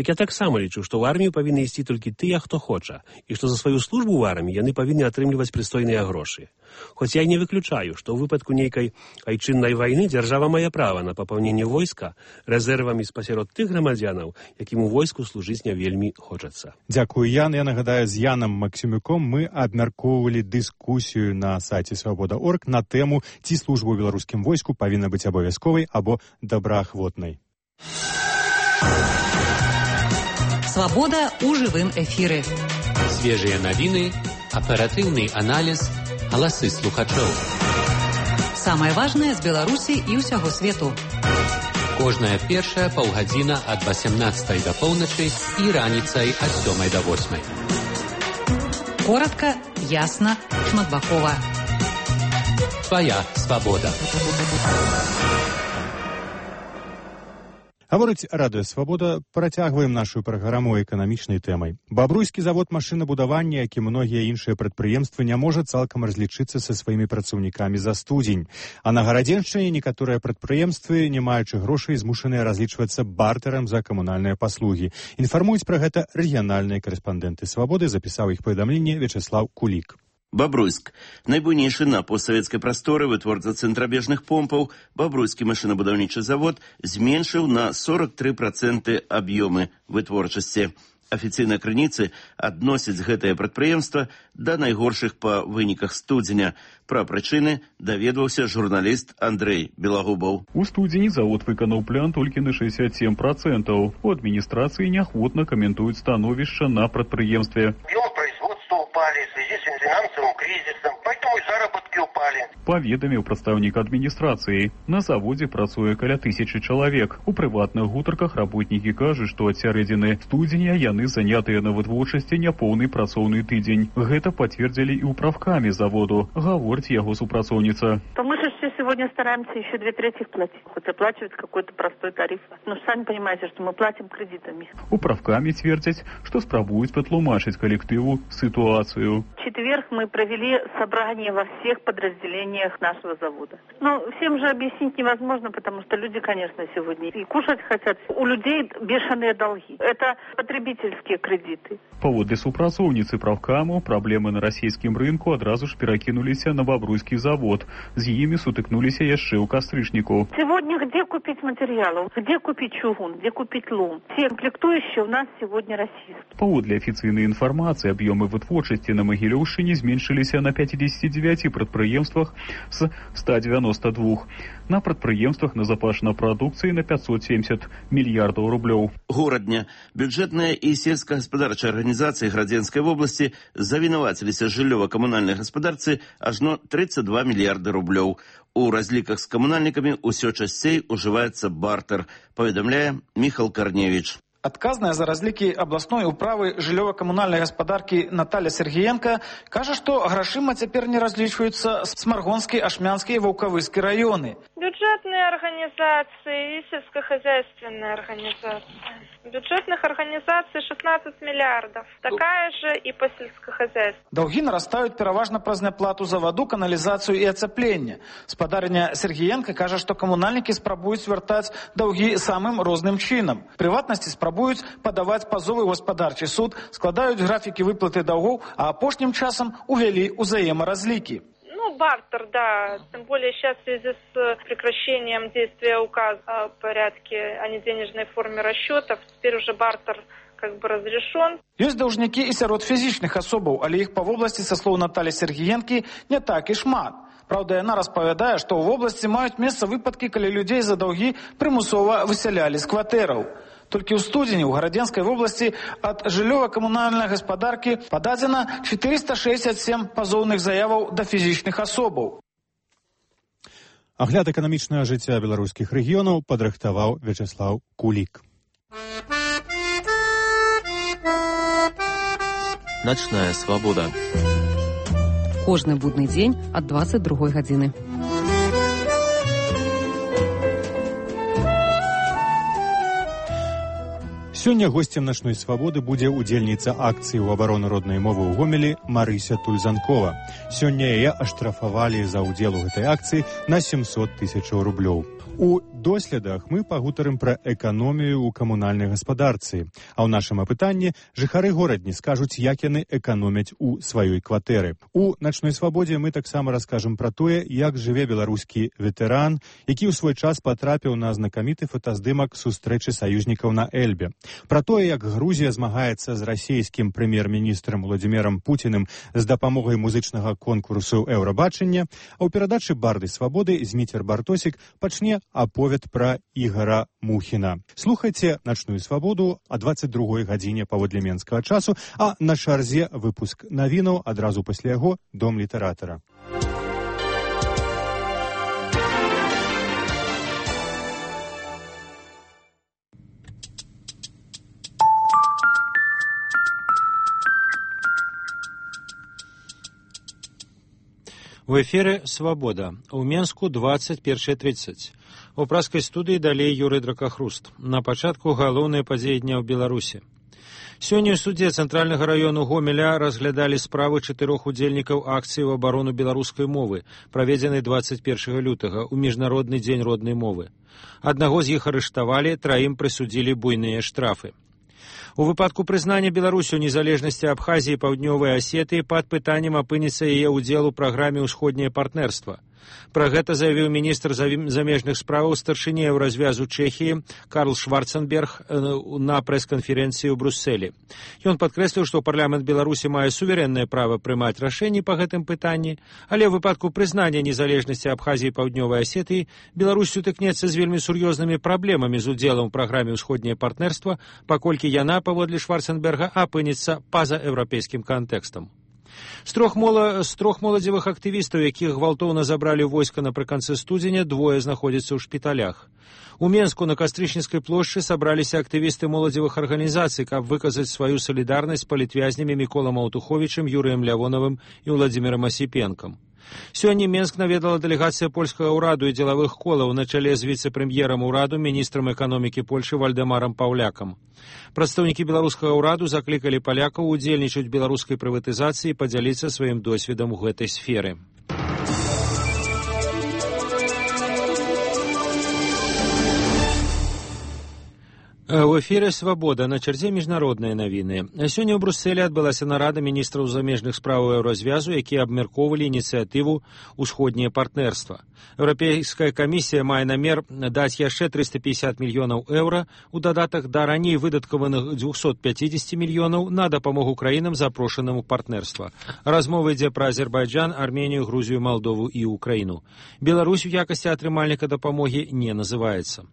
Дык я таксама лічу, што ў армію павінны ісці толькі тыя, хто хоча, і што за сваю службу ў арміі яны павінны атрымліваць прыстойныя грошы. Хоць я не выключаю, што ў выпадку нейкай айчыннай вайны дзяржава мае права на папаўненне войска рэзервамі спасярод тых грамадзянаў, якім у войску служыць не вельмі хочацца. Дзякую, Ян. Я нагадаю, з Янам Максімюком мы абмяркоўвалі дыскусію на сайце свабода точка орг на тэму, ці служба ў беларускім войску павінна быць абавязковай або добраахвотнай. Свобода у живым эфире. Свежие новины, оперативный анализ, голосы слухачоў. Самое важное з Беларусі і ўсяго свету. Кожная першая паўгадзіна ад васямнаццатай да поўначы і раніцай ад сёмай да восьмай. Коротко, ясно, шматбакова. Твоя свобода. Гаворыць Радыё Свабода, працягваем нашу праграму эканамічнай тэмай. Бабруйскі завод машынабудавання, як і многія іншыя прадпрыемствы, не можа цалкам разлічыцца са сваімі працаўнікамі за студзень. А на Гарадзеншчыне некаторыя прадпрыемствы, не маючы грошай, змушаныя разлічвацца бартэрам за камунальныя паслугі. Інфармуюць пра гэта рэгіянальныя карэспандэнты Свабоды, запісаў іх паведамленне Вячеслав Кулік. Бабруйск. Найбуйнейшы на постсавецкай прасторы вытворца цэнтрабежных помпаў, Бабруйскі машынабудаўнічы завод зменшыў на сорок тры працэнты аб'ёмы вытворчасці. Афіцыйныя крыніцы адносяць гэтае прадпрыемства да найгоршых па выніках студзеня. Пра прычыны даведваўся журналіст Андрэй Белагубаў. У студзені завод выканаў план толькі на шэсцьдзесят сем працэнтаў. У адміністрацыі неахвотна каментуюць становішча на прадпрыемстве. Объемы производства упали в связи с финансовым кризисом, поэтому и заработки упали. Паведаміў прадстаўнік адміністрацыі. На заводзе працуе каля тысячы чалавек. У прыватных гутарках работнікі кажуць, што ад сярэдзіны студзеня яны занятыя на вытворчасці няпоўны працоўны тыдзень. Гэта пацвердзілі і ў правкамі заводу, гаворыць яго супрацоўніца. То мы же все сегодня стараемся еще две трети платить, хоть оплачивать какой-то простой тариф. Но сами понимаете, что мы платим кредитами. У правкамі цвердзяць, што спрабуюць патлумачыць калектыву ситуацию. В четверг мы провели собрание во всех подразделениях нашего завода. Но всем же объяснить невозможно, потому что люди, конечно, сегодня и кушать хотят. У людей бешеные долги. Это потребительские кредиты. Паводле супрацоўніцы правкаму, праблемы на расійскім рынку адразу ж перакінуліся на Бабруйскі завод. З імі сутыкнуліся яшчэ ў кастрычніку. Сегодня где купить материалов? Где купить чугун? Где купить лом? Все комплектующие у нас сегодня российские. Паводле афіцыйнай інфармацыі, аб'ёмы вытворчасці на Магілёўшчыне зменшыліся на пятьдесят девять прадпрыемствах з ста девяноста двух. На прадпрыемствах назапашана прадукцыі на пятьсот семьдесят мільярдаў рублёў. Горадня. Бюджэтная і сельскагаспадарчая арганізацыі Градзенскай вобласці завінаваціліся жыллёва-камунальнай гаспадарцы ажно тридцать два мільярда рублёў. У разліках з камунальнікамі ўсё часцей ужываецца бартэр, паведамляе Міхал Карневіч. Адказная за разлікі абласной управы жыллёва-камунальнай гаспадаркі Наталья Сергіенка кажа, што грашыма цяпер не разлічваюцца Смаргонскі, Ашмянскі і Ваўкавыскі раёны. Бюджетные организации и сельскохозяйственные организации. Бюджетных организаций шестнадцать миллиардов. Такая же и по сельскохозяйству. Даўгі нарастаюць пераважна праз няплату за ваду, каналізацыю і ацяпленне. Спадарня Сергіенка кажа, што камунальнікі спрабуюць вяртаць даўгі самым розным чынам. Прыватнасці спрабуюць падаваць пазовы ў гаспадарчы суд, складаюць графікі выплаты даўгоў, а апошнім часам увялі ўзаемаразлікі. Ну, бартер, да. Тем более сейчас в связи с прекращением действия указа о порядке, о неденежной форме расчетов, теперь уже бартер как бы разрешен. Ёсць даўжнікі і сярод фізічных асобаў, але іх па вобласці, са слоў Наталі Сергіенкі, не так і шмат. Праўда, яна распавядае, што ў вобласці маюць месца выпадкі, калі людзей за даўгі прымусова высялялі з кватэраў. Толькі ў студзені ў Гарадзенскай вобласці ад жыллёва-камунальнай гаспадаркі пададзена четыреста шестьдесят семь пазоўных заяваў да фізічных асобаў. Агляд эканамічнага жыцця беларускіх рэгіёнаў падрыхтаваў Вячеслав Кулік. Начная свобода. Кожны будны дзень ад двадцать другой гадзіны. Сёння госцем начной свабоды будзе удзельніца акцыі ў абарону роднай мовы ў Гомелі Марыся Тульзанкова. Сёння яе аштрафавалі за ўдзел у гэтай акцыі на семьсот тысяч рублёў. У доследах мы пагутарым пра эканомію ў камунальнай гаспадарцы. А ў нашым апытанні жыхары горадні скажуць, як яны эканомяць у сваёй кватэры. У начной свабодзе мы таксама раскажам пра тое, як жыве беларускі ветэран, які ў свой час патрапіў на знакаміты фотаздымак сустрэчы саюзнікаў на Эльбе. Пра тое, як Грузія змагаецца з расійскім прэм'ер-міністрам Владзімірам Пуціным з дапамогай музычнага конкурсу Еўрабачання, а ў перадачы «Барды свабоды» Зміцер Бартосік пачне аповед пра Ігара Мухіна. Слухайце «Начную свабоду» о двадцать другой гадзіне паводле менскага часу, а на чарзе выпуск навінаў адразу пасля яго «Дом літаратара». У эфире «Свобода». У Менску двадцать первая тридцать. У праскай студыі далей Юрый Дракахруст. На пачатку галоўныя падзеі дня ў Беларусі. Сёння ў судзе Цэнтральнага раёну Гомеля разглядалі справы чатырох удзельнікаў акцыі ў абарону беларускай мовы, праведзенай двадцать первага лютага ў міжнародны дзень роднай мовы. Аднаго з іх арыштавалі, траім прысудзілі буйныя штрафы. У выпадку прызнання Беларусі ў незалежнасці Абхазіі і Паўднёвай Асетыі пад пытаннем апынецца яе ўдзел у праграме «Усходняе партнерства». Пра гэта заявіў міністр замежных справаў старшыні Еўразвязу Чэхіі Карл Шварценберг на прэс-канферэнцыі ў Брусселі. Ён падкрэсліў, што парламент Беларусі мае суверэннае права прымаць рашэнні па гэтым пытанні, але ў выпадку прызнання незалежнасці Абхазіі і Паўднёвай Асетыі Беларусь сутыкнецца з вельмі сур'ёзнымі праблемамі з удзелам у праграме «Усходняе партнерства», паколькі яна, паводле Шварценберга, апынецца па-за еўрапейскім кантэкстам. З трох, мола... з трох моладзевых актывістаў, якіх гвалтоўна забралі войска напрыканцы студзеня, двое знаходзяцца ў шпіталях. У Менску на Кастрычніцкай плошчы сабраліся актывісты моладзевых арганізацый, каб выказаць сваю салідарнасць з палітвязнямі Міколам Аўтуховічым, Юрыем Лявонавым і Владзімірам Асіпенкам. Сёння Менск наведала дэлегацыя польскага ўраду і дзелавых колаў на чале з віцэ-прэм'ерам ураду, міністрам эканомікі Польшы Вальдэмарам Паўлякам. Прадстаўнікі беларускага ўраду заклікалі палякаў удзельнічаць у беларускай прыватызацыі і падзяліцца сваім досведам у гэтай сферы. У эфире «Свобода», на чарзе міжнародныя навіны. Сёння ў Брусселі адбылася нарада міністраў замежных справаў Еўразвязу, якія абмяркоўвалі ініцыятыву «Усходняе партнерства». Еўрапейская камісія мае намер даць яшчэ триста пятьдесят мільёнаў еўра у дадатак да раней выдаткаваных двухсот пятидесяти мільёнаў на дапамогу краінам, запрошаным у партнерства. Размова ідзе пра Азербайджан, Арменію, Грузію, Малдову і Украіну. Беларусь у якасці атрымальніка дапамогі не называецца.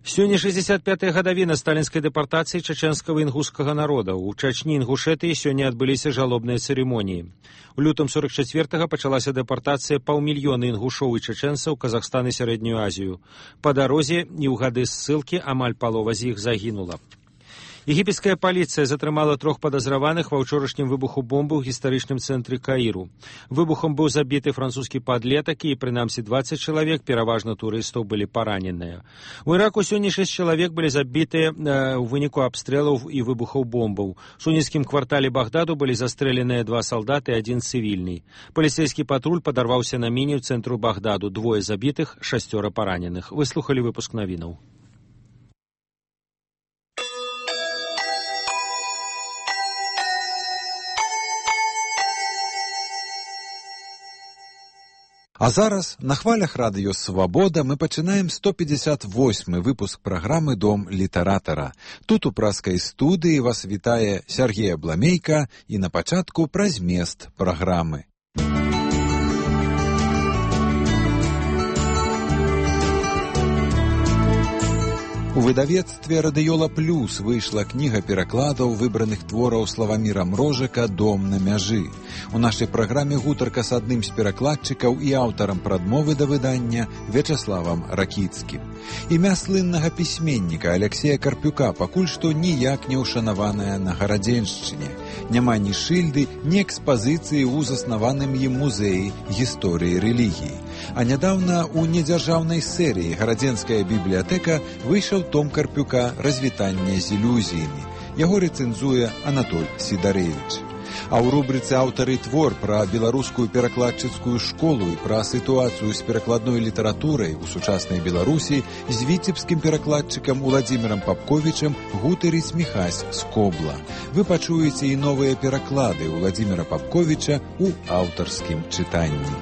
Сёння шестьдесят пятая гадавіна сталінскай дэпартацыі чачэнскага інгушскага народа. У Чачні Інгушэтыі сёння адбыліся жалобныя цырымоніі. У лютым сорок четвёртага пачалася дэпартацыя паўмільёна інгушоў і чачэнцаў Казахстан і Сярэднюю Азію. Па дарозе і ў гады ссылкі амаль палова з іх загінула. Егіпецкая паліцыя затрымала трох падазраваных ва ўчорашнім выбуху бомбы ў гістарычным цэнтры Каіру. Выбухом быў забіты французскі падлетак і, прынамсі, двадцать чалавек, пераважна турыстаў, былі параненыя. У Іраку сёння шэсць чалавек былі забітыя э, ў выніку абстрэлаў і выбухаў бомбаў. У суніцкім квартале Багдаду былі застрэленыя два салдаты і адзін цывільны. Паліцэйскі патруль падарваўся на міні ў цэнтру Багдаду. Двое забітых, шасцёра параненых. Выслухалі выпуск навінаў. А зараз на хвалях радыё «Свабода» мы пачынаем сто пятьдесят восьмы выпуск праграмы «Дом літаратара». Тут у праскай студыі вас вітае Сергей Абламейка і на пачатку пра змест праграмы. У выдавецтве «Радыёла Плюс» выйшла кніга перакладаў выбраных твораў Славаміра Мрожака «Дом на мяжы». У нашай праграме гутарка з адным з перакладчыкаў і аўтарам прадмовы да выдання Вячаславам Ракіцкім. Імя слыннага пісьменніка Аляксея Карпюка пакуль што ніяк не ўшанаванае на Гарадзеншчыне. Няма ні шыльды, ні экспазіцыі ў заснаваным ім музеі гісторыі рэлігіі. А нядаўна ў недзяржаўнай серыі «Гарадзенская бібліятэка» выйшаў том Карпюка «Развітанне з ілюзіямі». Яго рэцэнзуе Анатоль Сідарэвіч. А ў рубрыцы «Аўтары твор» пра беларускую перакладчыцкую школу і пра сітуацыю з перакладной літаратурай у сучаснай Беларусі з віцебскім перакладчыкам Уладзімірам Папковічам гутарыць Міхась Скобла. Вы пачуеце і новыя пераклады Уладзіміра Папковіча ў аўтарскім чытанні.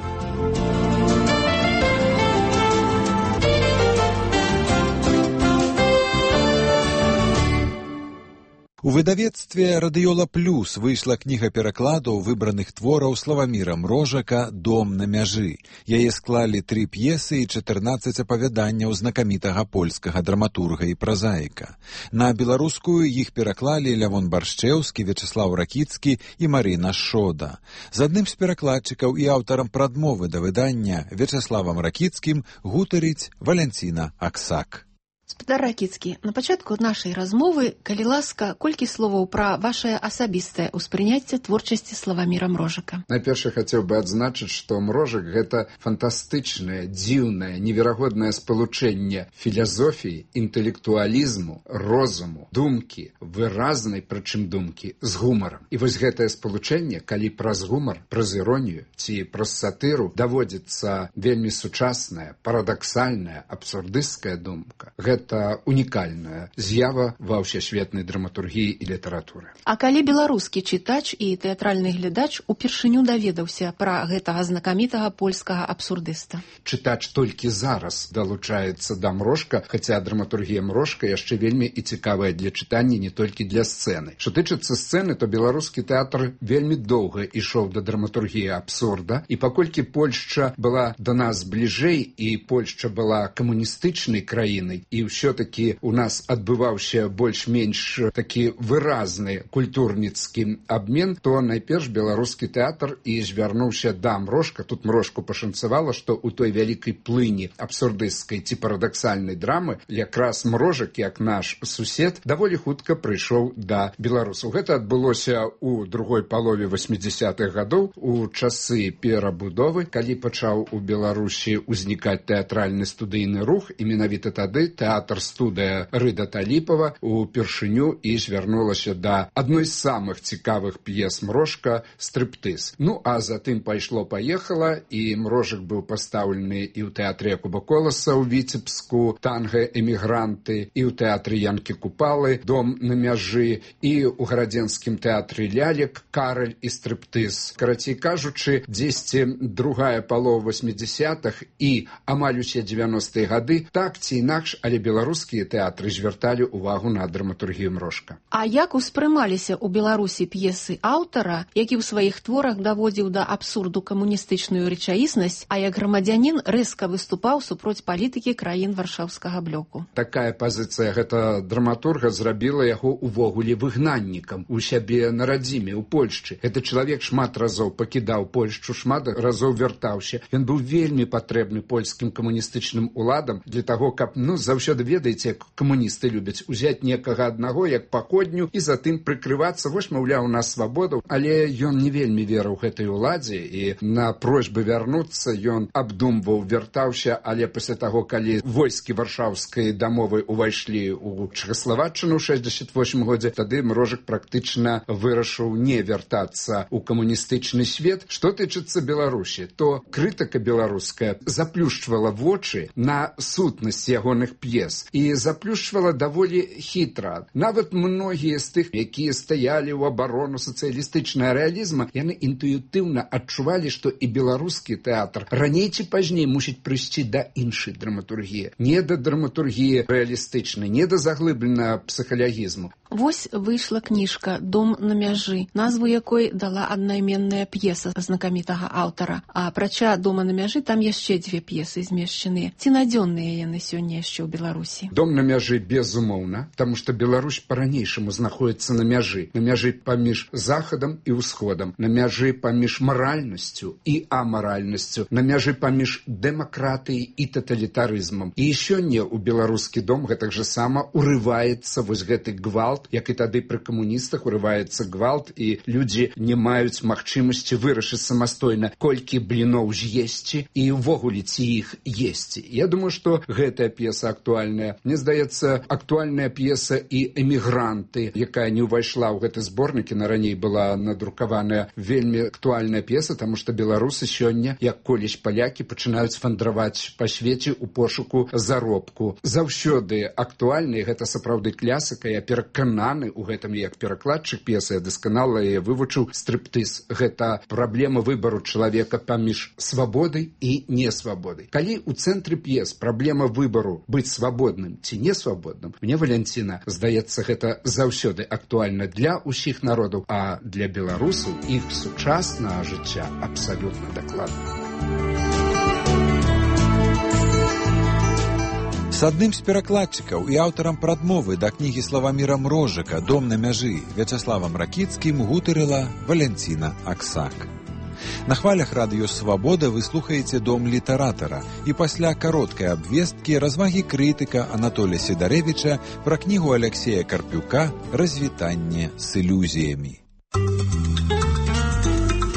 У выдавецтве «Радыёла Плюс» выйшла кніга перакладаў выбраных твораў Славаміра Мрожака «Дом на мяжы». Яе склалі тры п'есы і чатырнаццаць апавяданняў знакамітага польскага драматурга і празаіка. На беларускую іх пераклалі Лявон Баршчэўскі, Вячеслаў Ракіцкі і Марына Шода. З адным з перакладчыкаў і аўтарам прадмовы да выдання Вячеславам Ракіцкім гутарыць Валянціна Аксак. Спадар Ракіцкі, на пачатку нашай размовы, калі ласка, колькі словаў пра вашае асабістае ўспрыняцце творчасці Славаміра Мрожака. Найперш хацеў бы адзначыць, што Мрожак гэта фантастычнае, дзіўнае, неверагоднае спалучэнне філазофіі, інтэлектуалізму, розуму, думкі, выразнай, прычым думкі, з гумарам. І вось гэтае спалучэнне, калі праз гумар, праз іронію ці праз сатыру даводзіцца вельмі сучасная, парадаксальная, абсурдысцкая думка, гэта унікальная з'ява ва ўсесветнай драматургіі і літаратуры. А калі беларускі чытач і тэатральны глядач упершыню даведаўся пра гэтага знакамітага польскага абсурдыста? Чытач толькі зараз далучаецца да Мрожка, хаця драматургія Мрожка яшчэ вельмі і цікавая для чытання не толькі для сцэны. Што тычыцца сцэны, то беларускі тэатр вельмі доўга ішоў да драматургіі абсурда, і паколькі Польшча была да нас бліжэй і Польшча была камуністычнай краінай, і ўсё-такі у нас адбываўся больш-менш такі выразны культурніцкі абмен, то найперш беларускі тэатр і звярнуўся да Мрожка. Тут Мрожку пашанцавала, што ў той вялікай плыні абсурдысцкай ці парадаксальнай драмы якраз Мрожак, як наш сусед, даволі хутка прыйшоў да беларусаў. Гэта адбылося ў другой палове васьмідзясятых гадоў, у часы перабудовы, калі пачаў у Беларусі ўзнікаць тэатральны студыйны рух, і менавіта тады тэатр-студыя Рыда Таліпова упершыню і звярнулася да адной з самых цікавых п'ес Мрожка «Стрыптыз». Ну, а затым пайшло-паехала, і Мрожак быў пастаўлены і ў тэатры Якуба Коласа ў Віцебску, «Танга-эмігранты», і ў тэатры Янкі Купалы, «Дом на мяжы», і ў гарадзенскім тэатры «Лялек», «Караль» і «Стрыптыз». Карацей кажучы, дзесьці другая палова васьмідзясятых і амаль усе дзевяностыя гады так ці інакш, але беларускія тэатры звярталі ўвагу на драматургію Мрожка. А як успрымаліся ў Беларусі п'есы аўтара, які ў сваіх творах даводзіў да абсурду камуністычную рэчаіснасць, а як грамадзянін рэзка выступаў супроць палітыкі краін варшаўскага блоку? Такая пазіцыя гэта драматурга зрабіла яго увогуле выгнаннікам у сябе на радзіме, у Польшчы. Гэты чалавек шмат разоў пакідаў Польшчу, шмат разоў вяртаўся. Ён быў вельмі патрэбны польскім камуністычным уладам для таго, каб, ну, заўсёды ведаеце, як камуністы любяць узяць некага аднаго, як паходню, і затым прыкрывацца, вось, маўляў, у нас свабода. Але ён не вельмі верыў гэтай уладзе, і на просьбы вярнуцца ён абдумваў, вяртаўся, але пасля таго, калі войскі варшаўскай дамовы ўвайшлі ў Чэхаславаччыну ў шэсцьдзесят восьмым годзе, тады Мрожак практычна вырашыў не вяртацца ў камуністычны свет. Што тычыцца Беларусі, то крытыка беларуская заплюшчвала вочы на сутнасць ягоных п'ес і заплюшчвала даволі хітра. Нават многія з тых, якія стаялі ў абарону сацыялістычнага рэалізма, яны інтуітыўна адчувалі, што і беларускі тэатр раней ці пазней мусіць прыйсці да іншай драматургіі. Не да драматургіі рэалістычнай, не да заглыбленага псіхалагізму. Вось выйшла кніжка «Дом на мяжы», назву якой дала аднайменная п'еса знакамітага аўтара. А апрача «Дома на мяжы» там яшчэ дзве п'есы змешчаныя. Ці надзённыя яны сёння яшчэ ў Беларусі? «Дом на мяжы» безумоўна, таму што Беларусь па-ранейшаму знаходіцца на мяжы. На мяжы паміж захадам і ўсходам, на мяжы паміж маральнасцю і амаральнасцю, на мяжы паміж дэмакратыяй і таталітарызмам. І сёння ў беларускі дом гэтак жа сама урываецца вось гэты гвалт гвалт, як і тады пры камуністах урываецца гвалт, і людзі не маюць магчымасці вырашыць самастойна, колькі бліноў з'есці і ўвогуле ці іх есці. Я думаю, што гэтая п'еса актуальная. Мне здаецца, актуальная п'еса і «Эмігранты», якая не ўвайшла ў гэты зборнік, і на раней была надрукаваная, вельмі актуальная п'еса, таму што беларусы сёння, як колісь палякі, пачынаюць вандраваць па свеце ў пошуку заробку. Заўсёды актуальна, і гэта сапраўды класіка. Я перакананы ў гэтым, як перакладчык п'есы, я дасканала яе вывучыў. Стриптыз – гэта праблема выбару чалавека паміж свабодай і несвабодай. Калі ў цэнтры п'ес праблема выбару быць свабодным ці несвабодным, мне, Валянціна, здаецца, гэта заўсёды актуальна для ўсіх народаў, а для беларусаў іх сучаснага жыцця абсалютна дакладна. С адным з перакладчыкаў і аўтарам прадмовы да кнігі Славаміра Мрожыка «Дом на мяжы» Вячаславам Ракіцкім гутарыла Валянціна Аксак. На хвалях радыё «Свабода» вы слухаеце «Дом літаратара», і пасля кароткай абвесткі развагі крытыка Анатолія Сідарэвіча пра кнігу Аляксея Карпюка «Развітанне з ілюзіямі».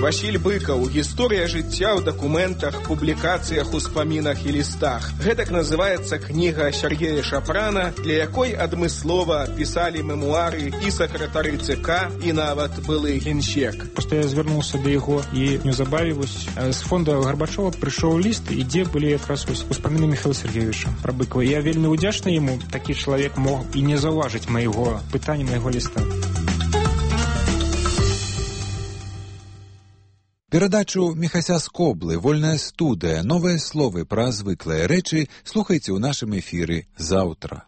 Васіль Быкаў. Гісторыя жыцця ў дакументах, публікацыях, успамінах і лістах. Гэтак называецца кніга Сергея Шапрана, для якой адмыслова пісалі мемуары і сакратары ЦК, і нават былы генсек. Просто я звярнуўся да яго, і неўзабаве з фонда Гарбачова прыйшоў ліст, і дзе былі якраз успаміны Михаила Сергеевича пра Быкова. Я вельмі ўдзячны яму, такі чалавек мог і не заўважыць майго пытання, майго ліста. Перадачу Міхася Скоблы «Вольная студыя. Новыя словы пра звыклыя рэчы» слухайце ў нашым эфіры заўтра.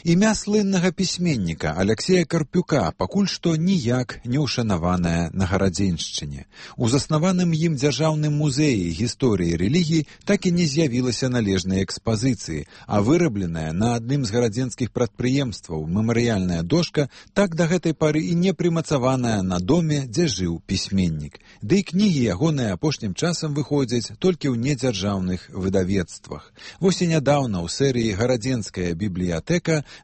Імя слыннага пісьменніка Аляксея Карпюка пакуль што ніяк не ўшанаванае на Гарадзеншчыне. У заснаваным ім дзяржаўным музеі гісторыі рэлігій так і не з'явілася належнай экспазіцыі, а вырабленая на адным з гарадзенскіх прадпрыемстваў мемарыяльная дошка так да гэтай пары і не прымацаваная на доме, дзе жыў пісьменнік. Ды і кнігі ягоныя апошнім часам выходзяць толькі ў недзяржаўных выдавецтвах. Вось і нядаўна ў серыі «Гарадзенская бібліятэка»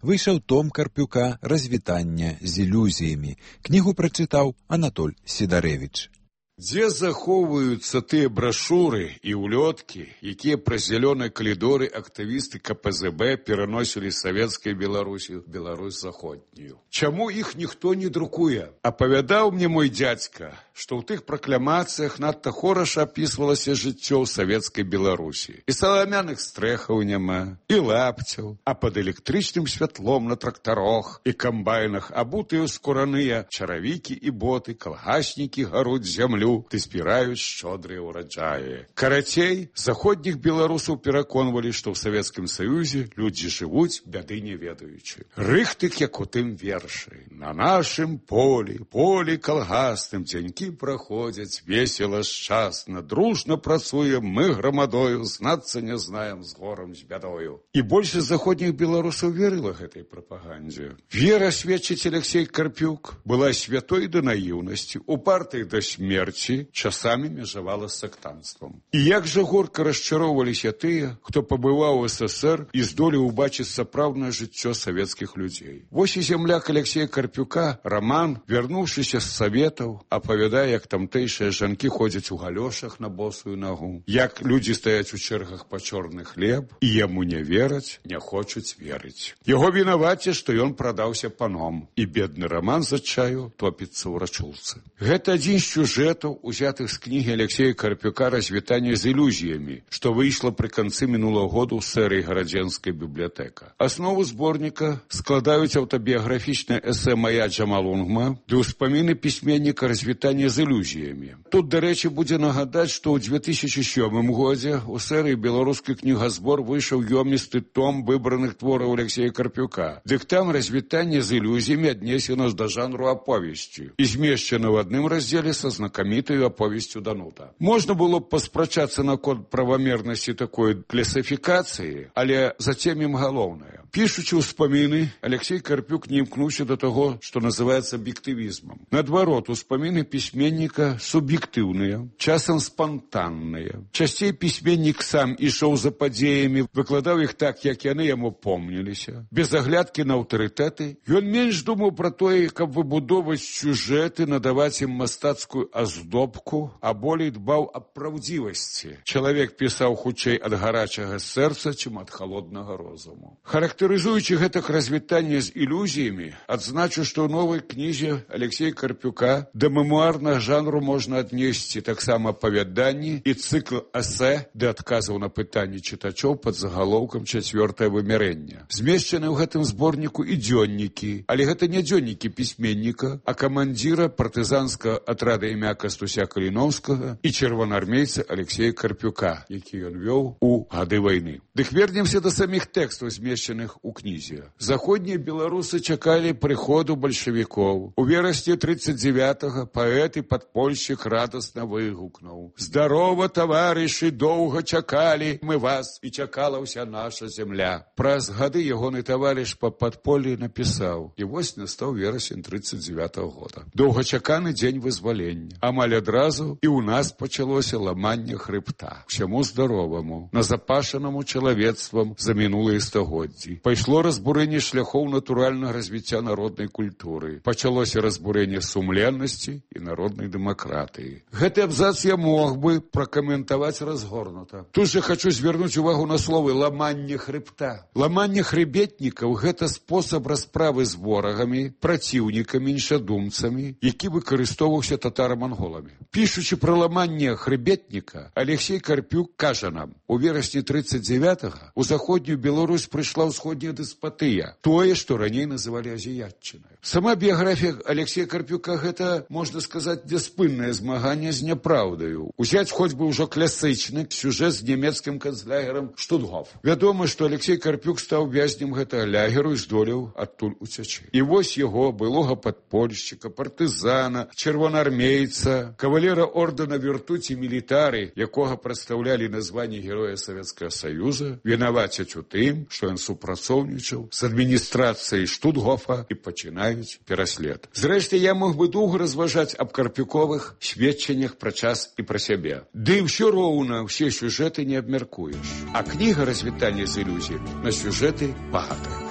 выйшаў том Карпюка «Развітанне з ілюзіямі». Кнігу прачытаў Анатоль Сідарэвіч. Дзе захоўваюцца тыя брашуры і ўлёткі, якія праз зялёныя калідоры актывісты ка пэ зэ бэ пераносілі з савецкай Беларусі ў Беларусь заходнюю? Чаму іх ніхто не друкуе? Апавядаў мне мой дзядзька, што ў тых пракламацыях надта хораша апісвалася жыццё ў савецкай Беларусі. І саламяных стрэхаў няма, і лапцяў, а пад электрычным святлом на трактарах і камбайнах абутыя скураныя чаравікі і боты, калгаснікі гаруць зямлю, ты спіраюць шчодрыя ўраджаі. Карацей, заходніх беларусаў пераконвалі, што ў Савецкім Саюзе людзі жывуць, бяды не ведаючы. Рыхтык, як у тым вершы. На нашым полі, полі калгасным дзянькі праходзяць весела, шчасна, дружна працуем мы грамадою, знацца не знаем з горам, з бядою. І большасць заходніх беларусаў верыла гэтай прапагандзе. Вера, сведчыць Аляксей Карпюк, была святой да наіўнасці, упартай да смерці, часамі межавала з сектанствам. І як жа горка расчароўваліся тыя, хто пабываў у эс эс ер і здолеў убачыць сапраўднае жыццё савецкіх людзей. Вось і зямляк Аляксея Карпюка, Раман, вярнуўшыся з саветаў, апавядае, як тамтэйшыя жанкі ходзяць у галёшах на босую нагу, як людзі стаяць у чэргах па чорны хлеб, і яму не вераць, не хочуць верыць. Яго вінаваце, што ён прадаўся паном, і бедны Раман з адчаю топіцца ў рачулцы. Гэта адзін з сюжэтаў, узятых з кнігі Аляксея Карпюка «Развітанне з ілюзіямі», што выйшла пры канцы мінулага году ў серыі «Гарадзенская бібліятэка». Аснову зборніка складаюць аўтабіяграфічнае эсэ «Мая Джамалунгма» ды ўспаміны пісьменніка «Развітанне з ілюзіямі». Тут, дарэчы, будзе нагадаць, што ў две тысячы сёмым годзе ў серыі «Беларускі кнігазбор» выйшаў ёмісты том выбраных твораў Аляксея Карпюка. Дык там «Развітанне з ілюзіямі» аднесена да жанру аповесці і змешчана ў адным раздзеле са знакамітаю аповесцю Данута. Можна было б паспрачацца наконт правамернасці такой класіфікацыі, але зацемім галоўнае. Пішучы ўспаміны, Алексей Карпюк не імкнуўся да таго, што называецца аб'ектывізмам. Наадварот, успаміны пісьменніка суб'ектыўныя, часам спантанныя. Часцей пісьменнік сам ішоў за падзеямі, выкладаў іх так, як яны яму помніліся. Без аглядкі на аўтарытэты, ён менш думаў пра тое, каб выбудоўваць сюжэты, надаваць ім мастацкую аздобку, а болей дбаў аб праўдзівасці. Чалавек пісаў хутчэй ад гарачага сэрца, чым ад халоднага розуму. Характарызуючы гэтак развітанне з ілюзіямі, адзначу, што ў новай кнізе Алексея Карпюка да мемуарнага жанру можна аднесці таксама апавяданні і цыкл эсэ да адказаў на пытанні чытачоў пад загалоўкам «Чацвёртае вымярэнне». Змешчаны ў гэтым зборніку і дзённікі, але гэта не дзённікі пісьменніка, а камандзіра партызанскага атрада імя Кастуся Каліноўскага і чырвонаармейца Алексея Карпюка, які ён вёў у гады вайны. Дык вернемся да саміх тэкстаў, змешчаных у кнізе. Заходнія беларусы чакалі прыходу бальшавікоў. У верасні тридцать девятага паэт і падпольшчык радасна выгукнуў: «Здарова, таварышы, доўга чакалі мы вас, і чакала ўся наша зямля». Праз гады ягоны таварыш па падполлі напісаў: «І вось настаў верасень тридцать девятага года. Доўгачаканы дзень вызвалення. Амаль адразу і ў нас пачалося ламанне хрыбта. Усяму здароваму, назапашанаму чалавецтвам за мінулыя стагоддзі. Пайшло разбурэнне шляхоў натуральнага развіцця народнай культуры. Пачалося разбурэнне сумленнасці і народнай дэмакратыі». Гэты абзац я мог бы пракаментаваць разгорнута. Тут же хочу звярнуць увагу на словы «ламанне хрыбта». Ламанне хрыбетнікаў – гэта спосаб расправы з ворагамі, праціўнікамі, іншадумцамі, які выкарыстоўваўся татаро-манголамі. Пішучы пра ламанне хрыбетніка, Алексей Карпюк кажа нам: у верасні тридцать девятага у заходнюю Беларусь прыйшла ўсходняя дэспатыя, тое, што раней называлі азіятчынай. Сама біяграфія Алексея Карпюка – гэта, можна сказаць, няспыннае змаганне з няпраўдаю. Узяць хоць бы ўжо класычны сюжэт з нямецкім канцлягерам Штутгоф. Вядома, што Алексей Карпюк стаў вязнем гэтага лягеру і здолеў адтуль уцячы. І вось яго, былога падпольшчыка, партызана, чырвонаармейца, кавалера ордэна віртуці мілітары, якога прадстаўлялі на званні Героя Савецкага Саюза, вінавацяць у тым, што ён супрацоўнічаў з адміністрацыяй Штутгофа, і пачынаюць пераслед. Зрэшты, я мог бы доўга разважаць аб карпюковых сведчаннях пра час і пра сябе. Ды ўсё роўна ўсе сюжэты не абмяркуеш. А кніга «Развітанне з ілюзіямі» на сюжэты багатая.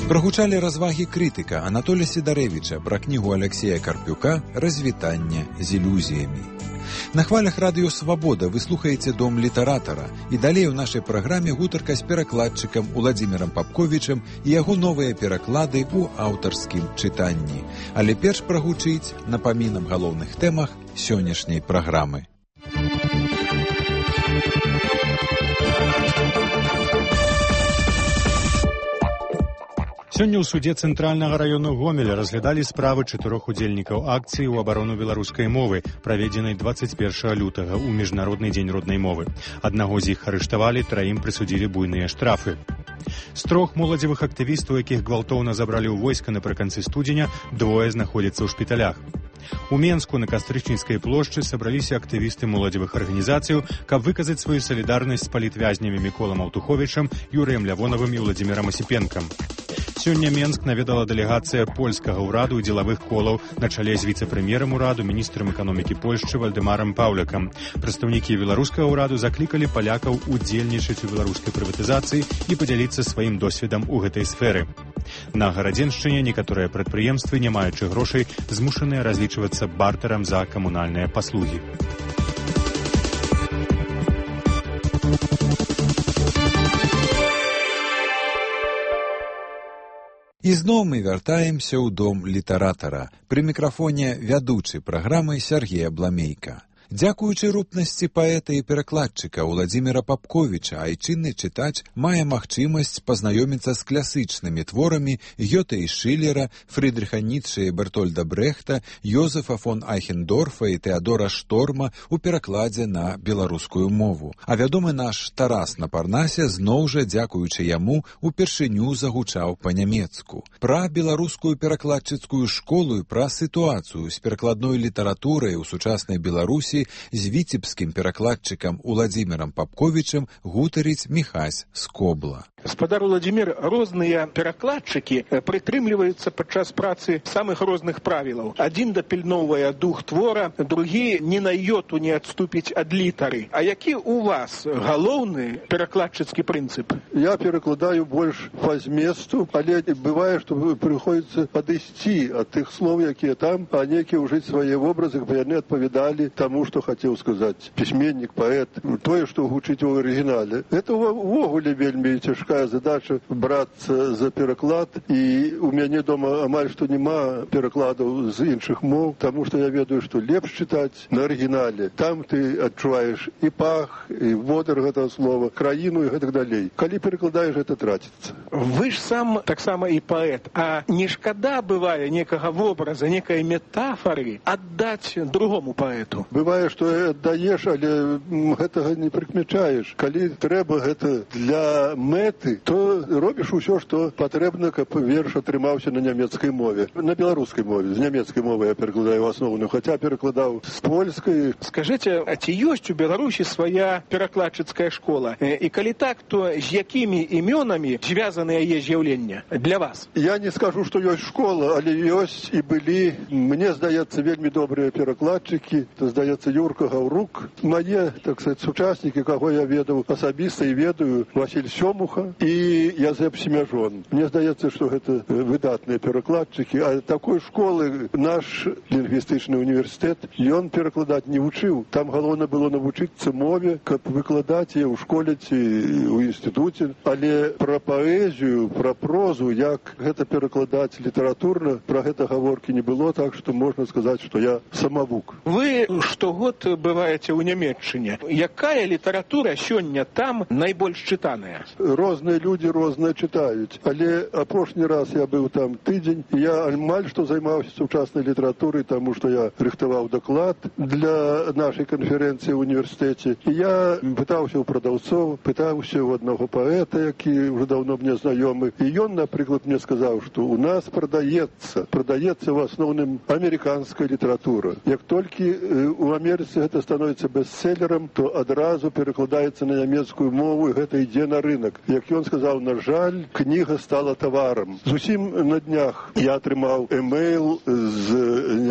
Прагучалі развагі крытыка Анатолія Сідарэвіча пра кнігу Алексея Карпюка «Развітанне з ілюзіямі». На хвалях радыё «Свабода» вы слухаеце «Дом літаратара», і далей у нашай праграме гутарка з перакладчыкам Уладзімірам Папковічам і яго новыя пераклады ў аўтарскім чытанні. Але перш прагучыць напамінам галоўных тэмах сённяшняй праграмы. Сёння ў суде Цэнтральнага раёну Гомеля разглядалі справы чатырох удзельнікаў акцыі ў абарону беларускай мовы, праведзенай двадцать першага лютага ў міжнародны дзень роднай мовы. Аднаго з іх арыштавалі, траім прысудзілі буйныя штрафы. З трох моладзевых актывістаў, якіх гвалтоўна забралі ў войска напрыканцы студзеня, двое знаходзяцца ў шпіталях. У Менску на Кастрычніцкай плошчы сабраліся актывісты моладзевых арганізацыяў, каб выказаць сваю салідарнасць з палітвязнямі Міколам Аўтуховічам, Юрыем Лявонавым і Владзімірам Асіпенкам. Сёння Менск наведала дэлегацыя польскага ўраду і дзелавых колаў на чале з віцэ-прэм'ерам ураду, міністрам эканомікі Польшчы Вальдэмарам Паўлякам. Прадстаўнікі беларускага ўраду заклікалі палякаў удзельнічаць у беларускай прыватызацыі і падзяліцца сваім досведам у гэтай сферы. На Гарадзеншчыне некаторыя прадпрыемствы, не маючы грошай, змушаныя разлічвацца бартарам за камунальныя паслугі. І зноў мы вяртаемся ў дом літаратара. Пры мікрафоне вядучы праграмы Сергея Бламейка. Дзякуючы рупнасці паэта і перакладчыка Уладзіміра Папковіча, айчынны чытач мае магчымасць пазнаёміцца з класычнымі творамі Гёте і Шылера, Фрыдрыха Ніцше і Бертольда Брэхта, Йозефа фон Айхендорфа і Тэадора Шторма ў перакладзе на беларускую мову. А вядомы наш Тарас на Парнасе зноў жа, дзякуючы яму, упершыню загучаў па-нямецку. Пра беларускую перакладчыцкую школу і пра сітуацыю з перакладной літаратурай у сучаснай Беларусі Беларусі з віцебскім перакладчыкам Уладзімірам Папковічам гутарыць Міхась Скобла. Спадар Уладзімір, розныя перакладчыкі прытрымліваюцца падчас працы самых розных правілаў. Адзін дапільноўвае дух твора, другі ні на йоту не адступіць ад літары. А які у вас галоўны перакладчыцкі прынцып? Я перакладаю больш па зместу, але бывае, што прыходзіцца падысці ад тых слоў, якія там, а некія ўжыць свае вобразы, бо яны адпавядалі таму, што хацеў сказаць пісьменнік, паэт, тое, што гучыць у арыгінале. Это ўвогуле вельмі цяжка задача брацца за пераклад, і у мяне дома амаль што няма перакладаў з іншых моў, таму што я ведаю, што лепш чытаць на арыгінале. Там ты адчуваеш і пах, і водар гэтага слова, краіну і гэтак далей. Калі перакладаеш, гэта траціцца. Вы ж сам таксама і паэт, а не шкада бывае некага вобраза, некай метафары аддаць другому паэту? Бывае, што аддаеш, але гэтага не прыкмячаеш. Калі трэба гэта для мэт, то робіш усё, што патрэбна, каб верш атрымаўся на нямецкай мове. На беларускай мове. З нямецкай мовы я перакладаю асноўную, хаця перакладаў з польскай. Скажыце, а ці ёсць у Беларусі свая перакладчыцкая школа? І калі так, то з якімі імёнамі звязаны яе з'яўлення для вас? Я не скажу, што ёсць школа, але ёсць і былі, мне здаецца, вельмі добрыя перакладчыкі. То, здаецца, Юрка Гаўрук. Мае, так сказаць, сучаснікі, каго я ведаў асабіста і ведаю, Васіль Сёмуха і Язэп Семяжон. Мне здаецца, што гэта выдатныя перакладчыкі, а такой школы наш лінгвістычны універсітэт, ён перакладаць не вучыў. Там галоўна было навучыцца мове, каб выкладаць яе ў школе ці ў інстытуце. Але пра паэзію, пра прозу, як гэта перакладаць літаратурна, пра гэта гаворкі не было, так што можна сказаць, што я самавук. Вы штогод бываеце ў Нямецчыне. Якая літаратура сёння там найбольш чытаная? Розныя людзі розныя чытаюць, але апошні раз я быў там тыдзень, я амаль што займаўся сучаснай літаратурай, таму што я рыхтаваў даклад для нашай канферэнцыі ў універсітэце. І я пытаўся ў прадаўцоў, пытаўся ў аднаго паэта, які ўжо даўно мне знаёмы. І ён, напрыклад, мне сказаў, што ў нас прадаецца, прадаецца ў асноўным амерыканская літаратура. Як толькі у Амерыцы гэта становіцца бестселерам, то адразу перакладаецца на нямецкую мову, і гэта ідзе на рынок. Як ён сказаў, на жаль, кніга стала таварам. Зусім на днях я атрымаў эмейл з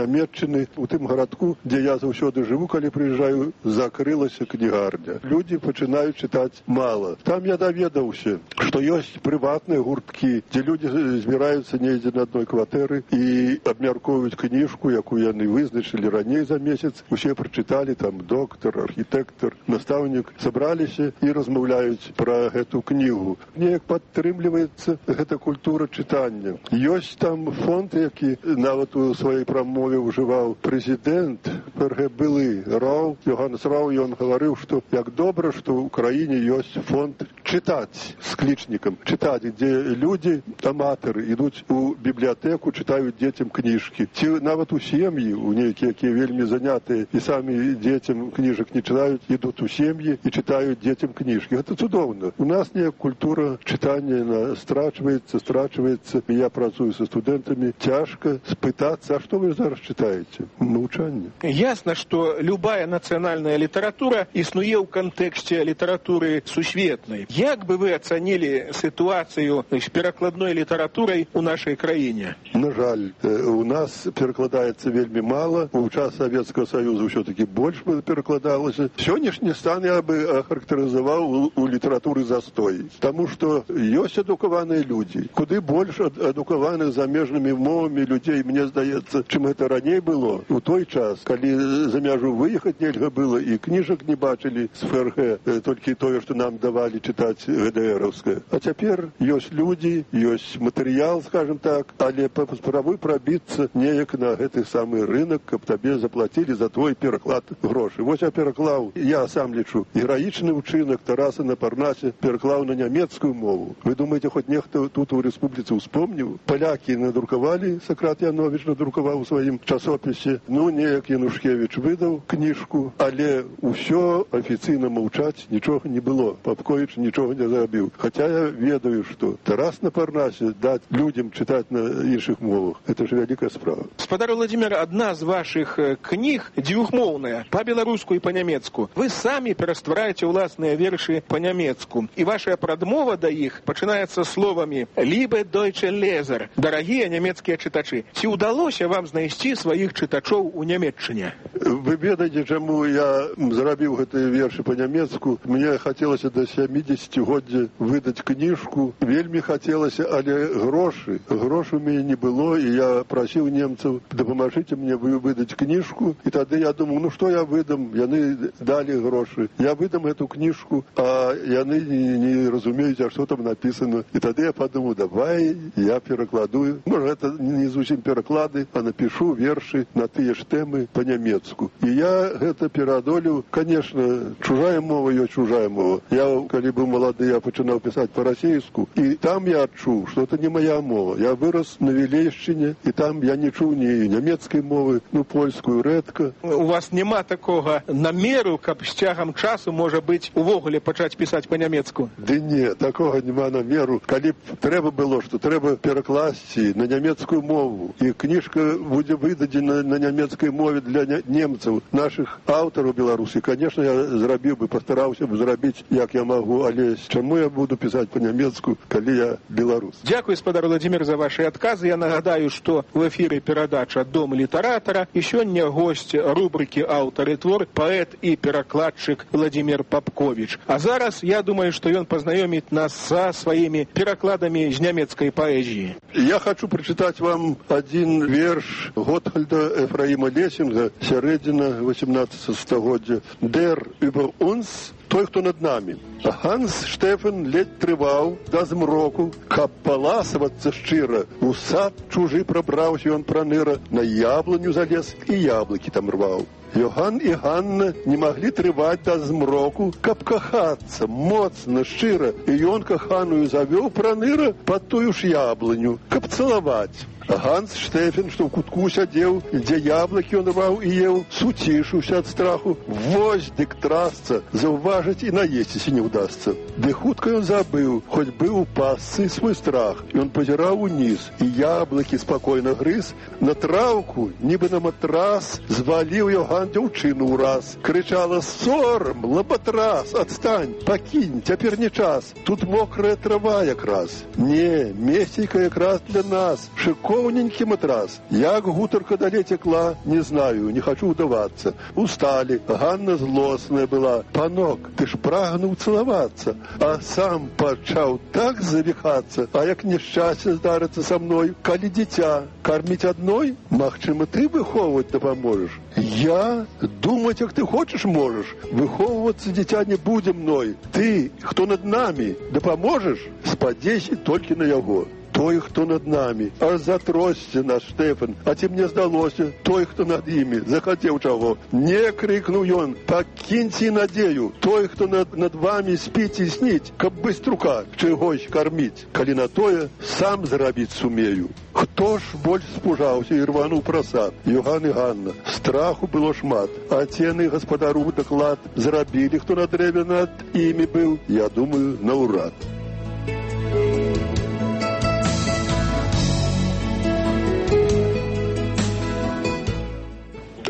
Нямецчыны у тым гарадку, дзе я заўсёды жыву, калі прыязджаю, закрылася кнігарня. Людзі пачынаюць чытаць мала. Там я даведаўся, што ёсць прыватныя гурткі, дзе людзі збіраюцца недзе на адной кватэры і абмяркоўваюць кніжку, якую яны вызначылі раней за месяц. Усе прачыталі, там доктар, архітэктар, настаўнік, сабраліся і размаўляюць пра гэту кнігу. Неяк падтрымліваецца гэта культура чытання. Ёсць там фонд, які нават у сваёй прамове ўжываў прэзідэнт ПРГ былы Рау, Йоганнес Рау, ён гаварыў, што як добра, што ў краіне ёсць фонд чытаць з клічнікам, чытаць, дзе людзі, аматары, ідуць у бібліятэку, чытаюць дзецям кніжкі. Ці нават у сем'і, у нейкія, якія вельмі занятыя і самі дзецям кніжак не чытаюць, ідуць у сем'і і чытаюць дзецям кніжкі. Гэта цудоўна. У нас неяк культура чытання страчваецца, страчваецца. Я працую са студэнтамі. Цяжка спытацца, а што вы зараз чытаеце? Навучанне. Ясна, што любая нацыянальная літаратура існуе ў кантэксце літаратуры сусветнай. Як бы вы ацанілі сітуацыю з перакладной літаратурай у нашай краіне? На жаль, у нас перакладаецца вельмі мала. У час Савецкага Саюза ўсё-такі больш перакладалася. Сённяшні стан я бы ахарактарызаваў у, у літаратуры застой. Таму што ёсць адукаваныя людзі. Куды больш адукаваных замежнымі мовамі людзей, мне здаецца, чым гэта раней было. У той час, калі за мяжу выехаць нельга было і кніжак не бачылі з ФРГ, толькі тое, што нам давалі чытаць ГДРаўскае. А цяпер ёсць людзі, ёсць матэрыял, скажем так, але паспрабуй прабіцца неяк на гэты самы рынок, каб табе заплацілі за твой пераклад грошы. Вось я пераклаў, я сам лічу, гераічны ўчынак Тараса на Парнасе пераклаў на нямецкую мову. Вы думаеце, хоць нехта тут у рэспубліцы ўспомніў? Палякі надрукавалі, Сакрат Яновіч надрукаваў у сваім часопісе. Ну, неяк Янушкевіч выдаў кніжку, але ўсё афіцыйна маўчаць, нічога не было. Папковіч нічога нічого не зрабіў. Хаця я ведаю, што Тарас на Парнасе даць людям чытаць на іншых мовах. Это ж вялікая справа. Спадар Владимир, одна з ваших кніг двухмоўная, па-беларуску і па-нямецку. Вы самі пераствараеце ўласныя вершы па-нямецку. І ваша прадмова да іх пачынаецца словамі «Liebe deutsche Leser», дарагія нямецкія чытачы. Ці ўдалося вам знайсці сваіх чытачоў у Нямецчыне? Вы ведаеце, чаму я зрабіў гэтыя вершы па-нямецку? Мне хацелася да сямідзесяцігоддзя выдаць кніжку. Вельмі хацелася, але грошы. Грошы у мяне не было, і я прасіў немцаў, дапамажыце мне выдаць кніжку. І тады я думаў, ну што я выдам? Яны далі грошы. Я выдам эту кніжку, а яны не, не разумеюць, а што там напісана. І тады я падумаў, давай я перакладую. Можа, гэта не зусім пераклады, а напішу вершы на тыя ж тэмы па-нямецку. І я гэта пераадолеў. Конечно, чужая мова ёсць чужая мова. Я, калі быў малады, я пачынаў пісаць па-расейску, і там я адчуў, што это не моя мова. Я вырас на Вілейшчыне, і там я не чуў ні нямецкай мовы, ну, польскую рэдка. У вас няма такога намеру, каб з цягам часу, можа быць, увогуле пачаць пісаць па-нямецку? Ды не, такога няма намеру. Калі б трэба было, што трэба перакласці на нямецкую мову, і кніжка будзе выдадзена на нямецкай мове для немцаў, нашых аўтараў беларусі, конечно, я зрабіў бы, пастараўся б зрабіць, як я магу, але чаму я буду пісаць па-нямецку, калі я беларус? Дякую, спадар Владимир, за ваши адказы. Я нагадаю, што в эфіры перадача «Дом літаратара», і сёння госць рубрыкі «Аўтар і твор», паэт і перакладчык Владимир Попкович. А зараз, я думаю, што ён пазнаёміць нас са сваімі перакладамі з нямецкай паэзіі. Я хочу прачытаць вам адзін верш Готхальда Эфраіма Лесінга, сярэдзіна восемнадцатага стагоддзя. «Der über uns», той, хто над намі. Ганс Штефан ледь трываў да змроку, каб паласавацца шчыра. У сад чужы прабраўся ён праныра, на яблыню залез і яблыкі там рваў. Йоган і Ганна не маглі трываць да змроку, каб кахацца моцна, шчыра, і ён каханую завёў праныра пад тую ж яблыню, каб цалаваць. Ганс Штефан, што ў кутку сядзеў, дзе яблыкі ён рваў і еў, суцішыўся ад страху. Вось дык трасца, заўважыць і наесціся не ўдасца. Ды хутка ён забыў, хоць быў у пасцы свой страх. Ён пазіраў уніз, і яблыкі спакойна грыз. На траўку, нібы на матрас, зваліў Йоган дзяўчыну ўраз. Крычала: «Сорам, лабатрас, адстань, пакінь, цяпер не час. Тут мокрая трава якраз». Не, месцейка якраз для нас, шыкоўненькі матрас. Як гутарка далей цекла, не знаю, не хачу ўдавацца. Усталі, Ганна злосная была. «Панок, ты ж прагнуў цалавацца». А сам пачаў так завіхацца. А як няшчасце здарыцца са мной, калі дзіця карміць адной, магчыма, ты выхоўваць дапаможаш. Я? Думаць, як ты хочаш, можаш. Выхоўвацца дзіця не будзе мной. Ты, хто над намі, дапаможаш? Спадзейся толькі на яго. Той, хто над намі. Аж затросся наш Штефан. А ці мне здалося, той, хто над імі, захацеў чаго. Не, крыкнуў ён, пакіньце надзею. Той, хто над, над вамі спіць і сніць, каб быструка чыгось карміць. Калі на тое, сам зрабіць сумею. Хто ж больш спужаўся і рвануў прасад? Йоган і Ганна. Страху было шмат. А цены гаспадару даклад зрабілі, хто на дрэве над імі быў, я думаю, наўрад.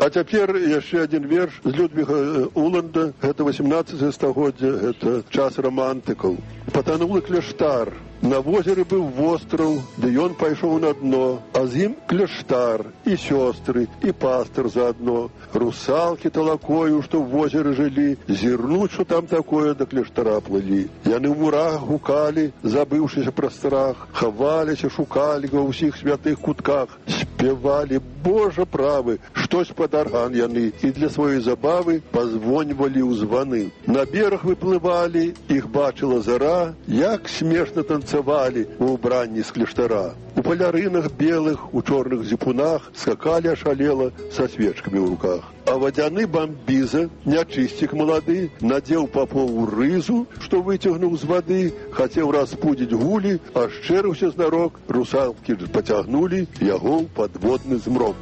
А цяпер яшчэ адзін верш з Людвіга Уланда. Гэта восемнадцатае стагоддзе, гэта час романтыкаў. Патанулы кляштар. На возеры быў востраў, ды ён пайшоў на дно, а з ім кляштар, і сёстры, і пастар заадно. Русалкі талакою, што ў возеры жылі, зірнуць, што там такое, да кляштара плылі. Яны ў мурах гукалі, забыўшыся пра страх, хаваліся, шукалі ва ўсіх святых кутках, спявалі: «Божа правы, штось пад арган яны», і для сваёй забавы пазвоньвалі ў званы. На бераг выплывалі, іх бачыла зара, як смешна танцавалі у ўбранні з кляштара. У палярынах белых, у чорных зіпунах скакалі ашалела са свечкамі ў руках. А вадзяны бамбіза, нячысцік малады, надзеў папову рызу, што выцягнуў з вады, хацеў распудзіць гулі, а шчэрыўся знарок, русалкі пацягнулі яго ў падводны змрок.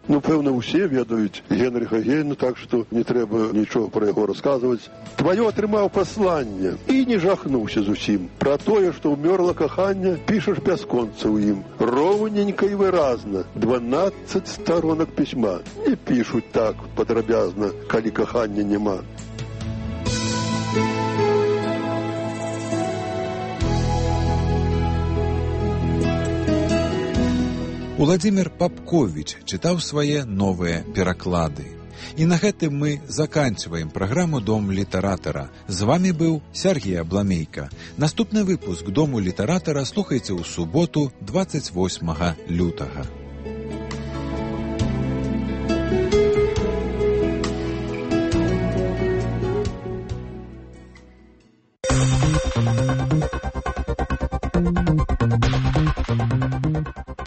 Ну, пэўна, усе ведаюць Генрыха Гейна, так што не трэба нічога пра яго расказваць. Тваё атрымаў пасланне і не жахнуўся зусім. Пра тое, што ўмёрла каханне, пішаш бясконца ў ім. Роўненька і выразна. дванаццаць старонак пісьма. Не пішуць так падрабязна, калі кахання няма. Уладзімір Папковіч чытаў свае новыя пераклады. І на гэтым мы заканчваем праграму «Дом літаратара». З вами быў Сергій Абламейка. Наступны выпуск «Дому літаратара» слухайце ў суботу дваццаць восьмага лютага.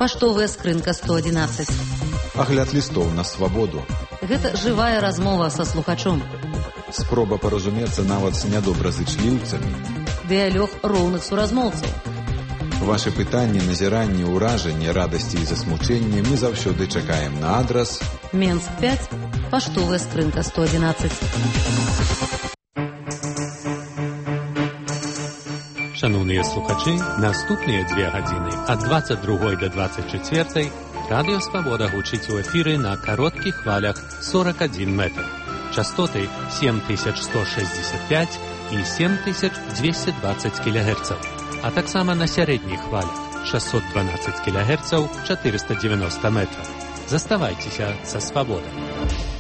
Паштовая скрынка сто адзінаццаць. Агляд лістоў на свабоду. Гэта жывая размова са слухачом. Спроба паразумецца нават з нядобразычліўцамі. Дыялог роўных суразмоўцаў. Вашы пытанні, назіранні, ўражанні, радасці і засмучэнні мы заўсёды чакаем на адрас Менск пяць, паштовая скрынка сто адзінаццаць. Шановныя слухачы, наступныя дзве гадзіны ад дваццаць другой да дваццаць чацвёртай Радыё Свабода гучыць у эфіры на кароткіх хвалях сорок адзін метр. Частоты сем тысяч сто шэсцьдзесят пяць і сем тысяч дзвесце дваццаць кілогерцаў, а таксама на сярэдніх хвалях шэсцьсот дванаццаць кілогерцаў, чатырыста дзевяноста метраў. Заставайцеся са Свабодай.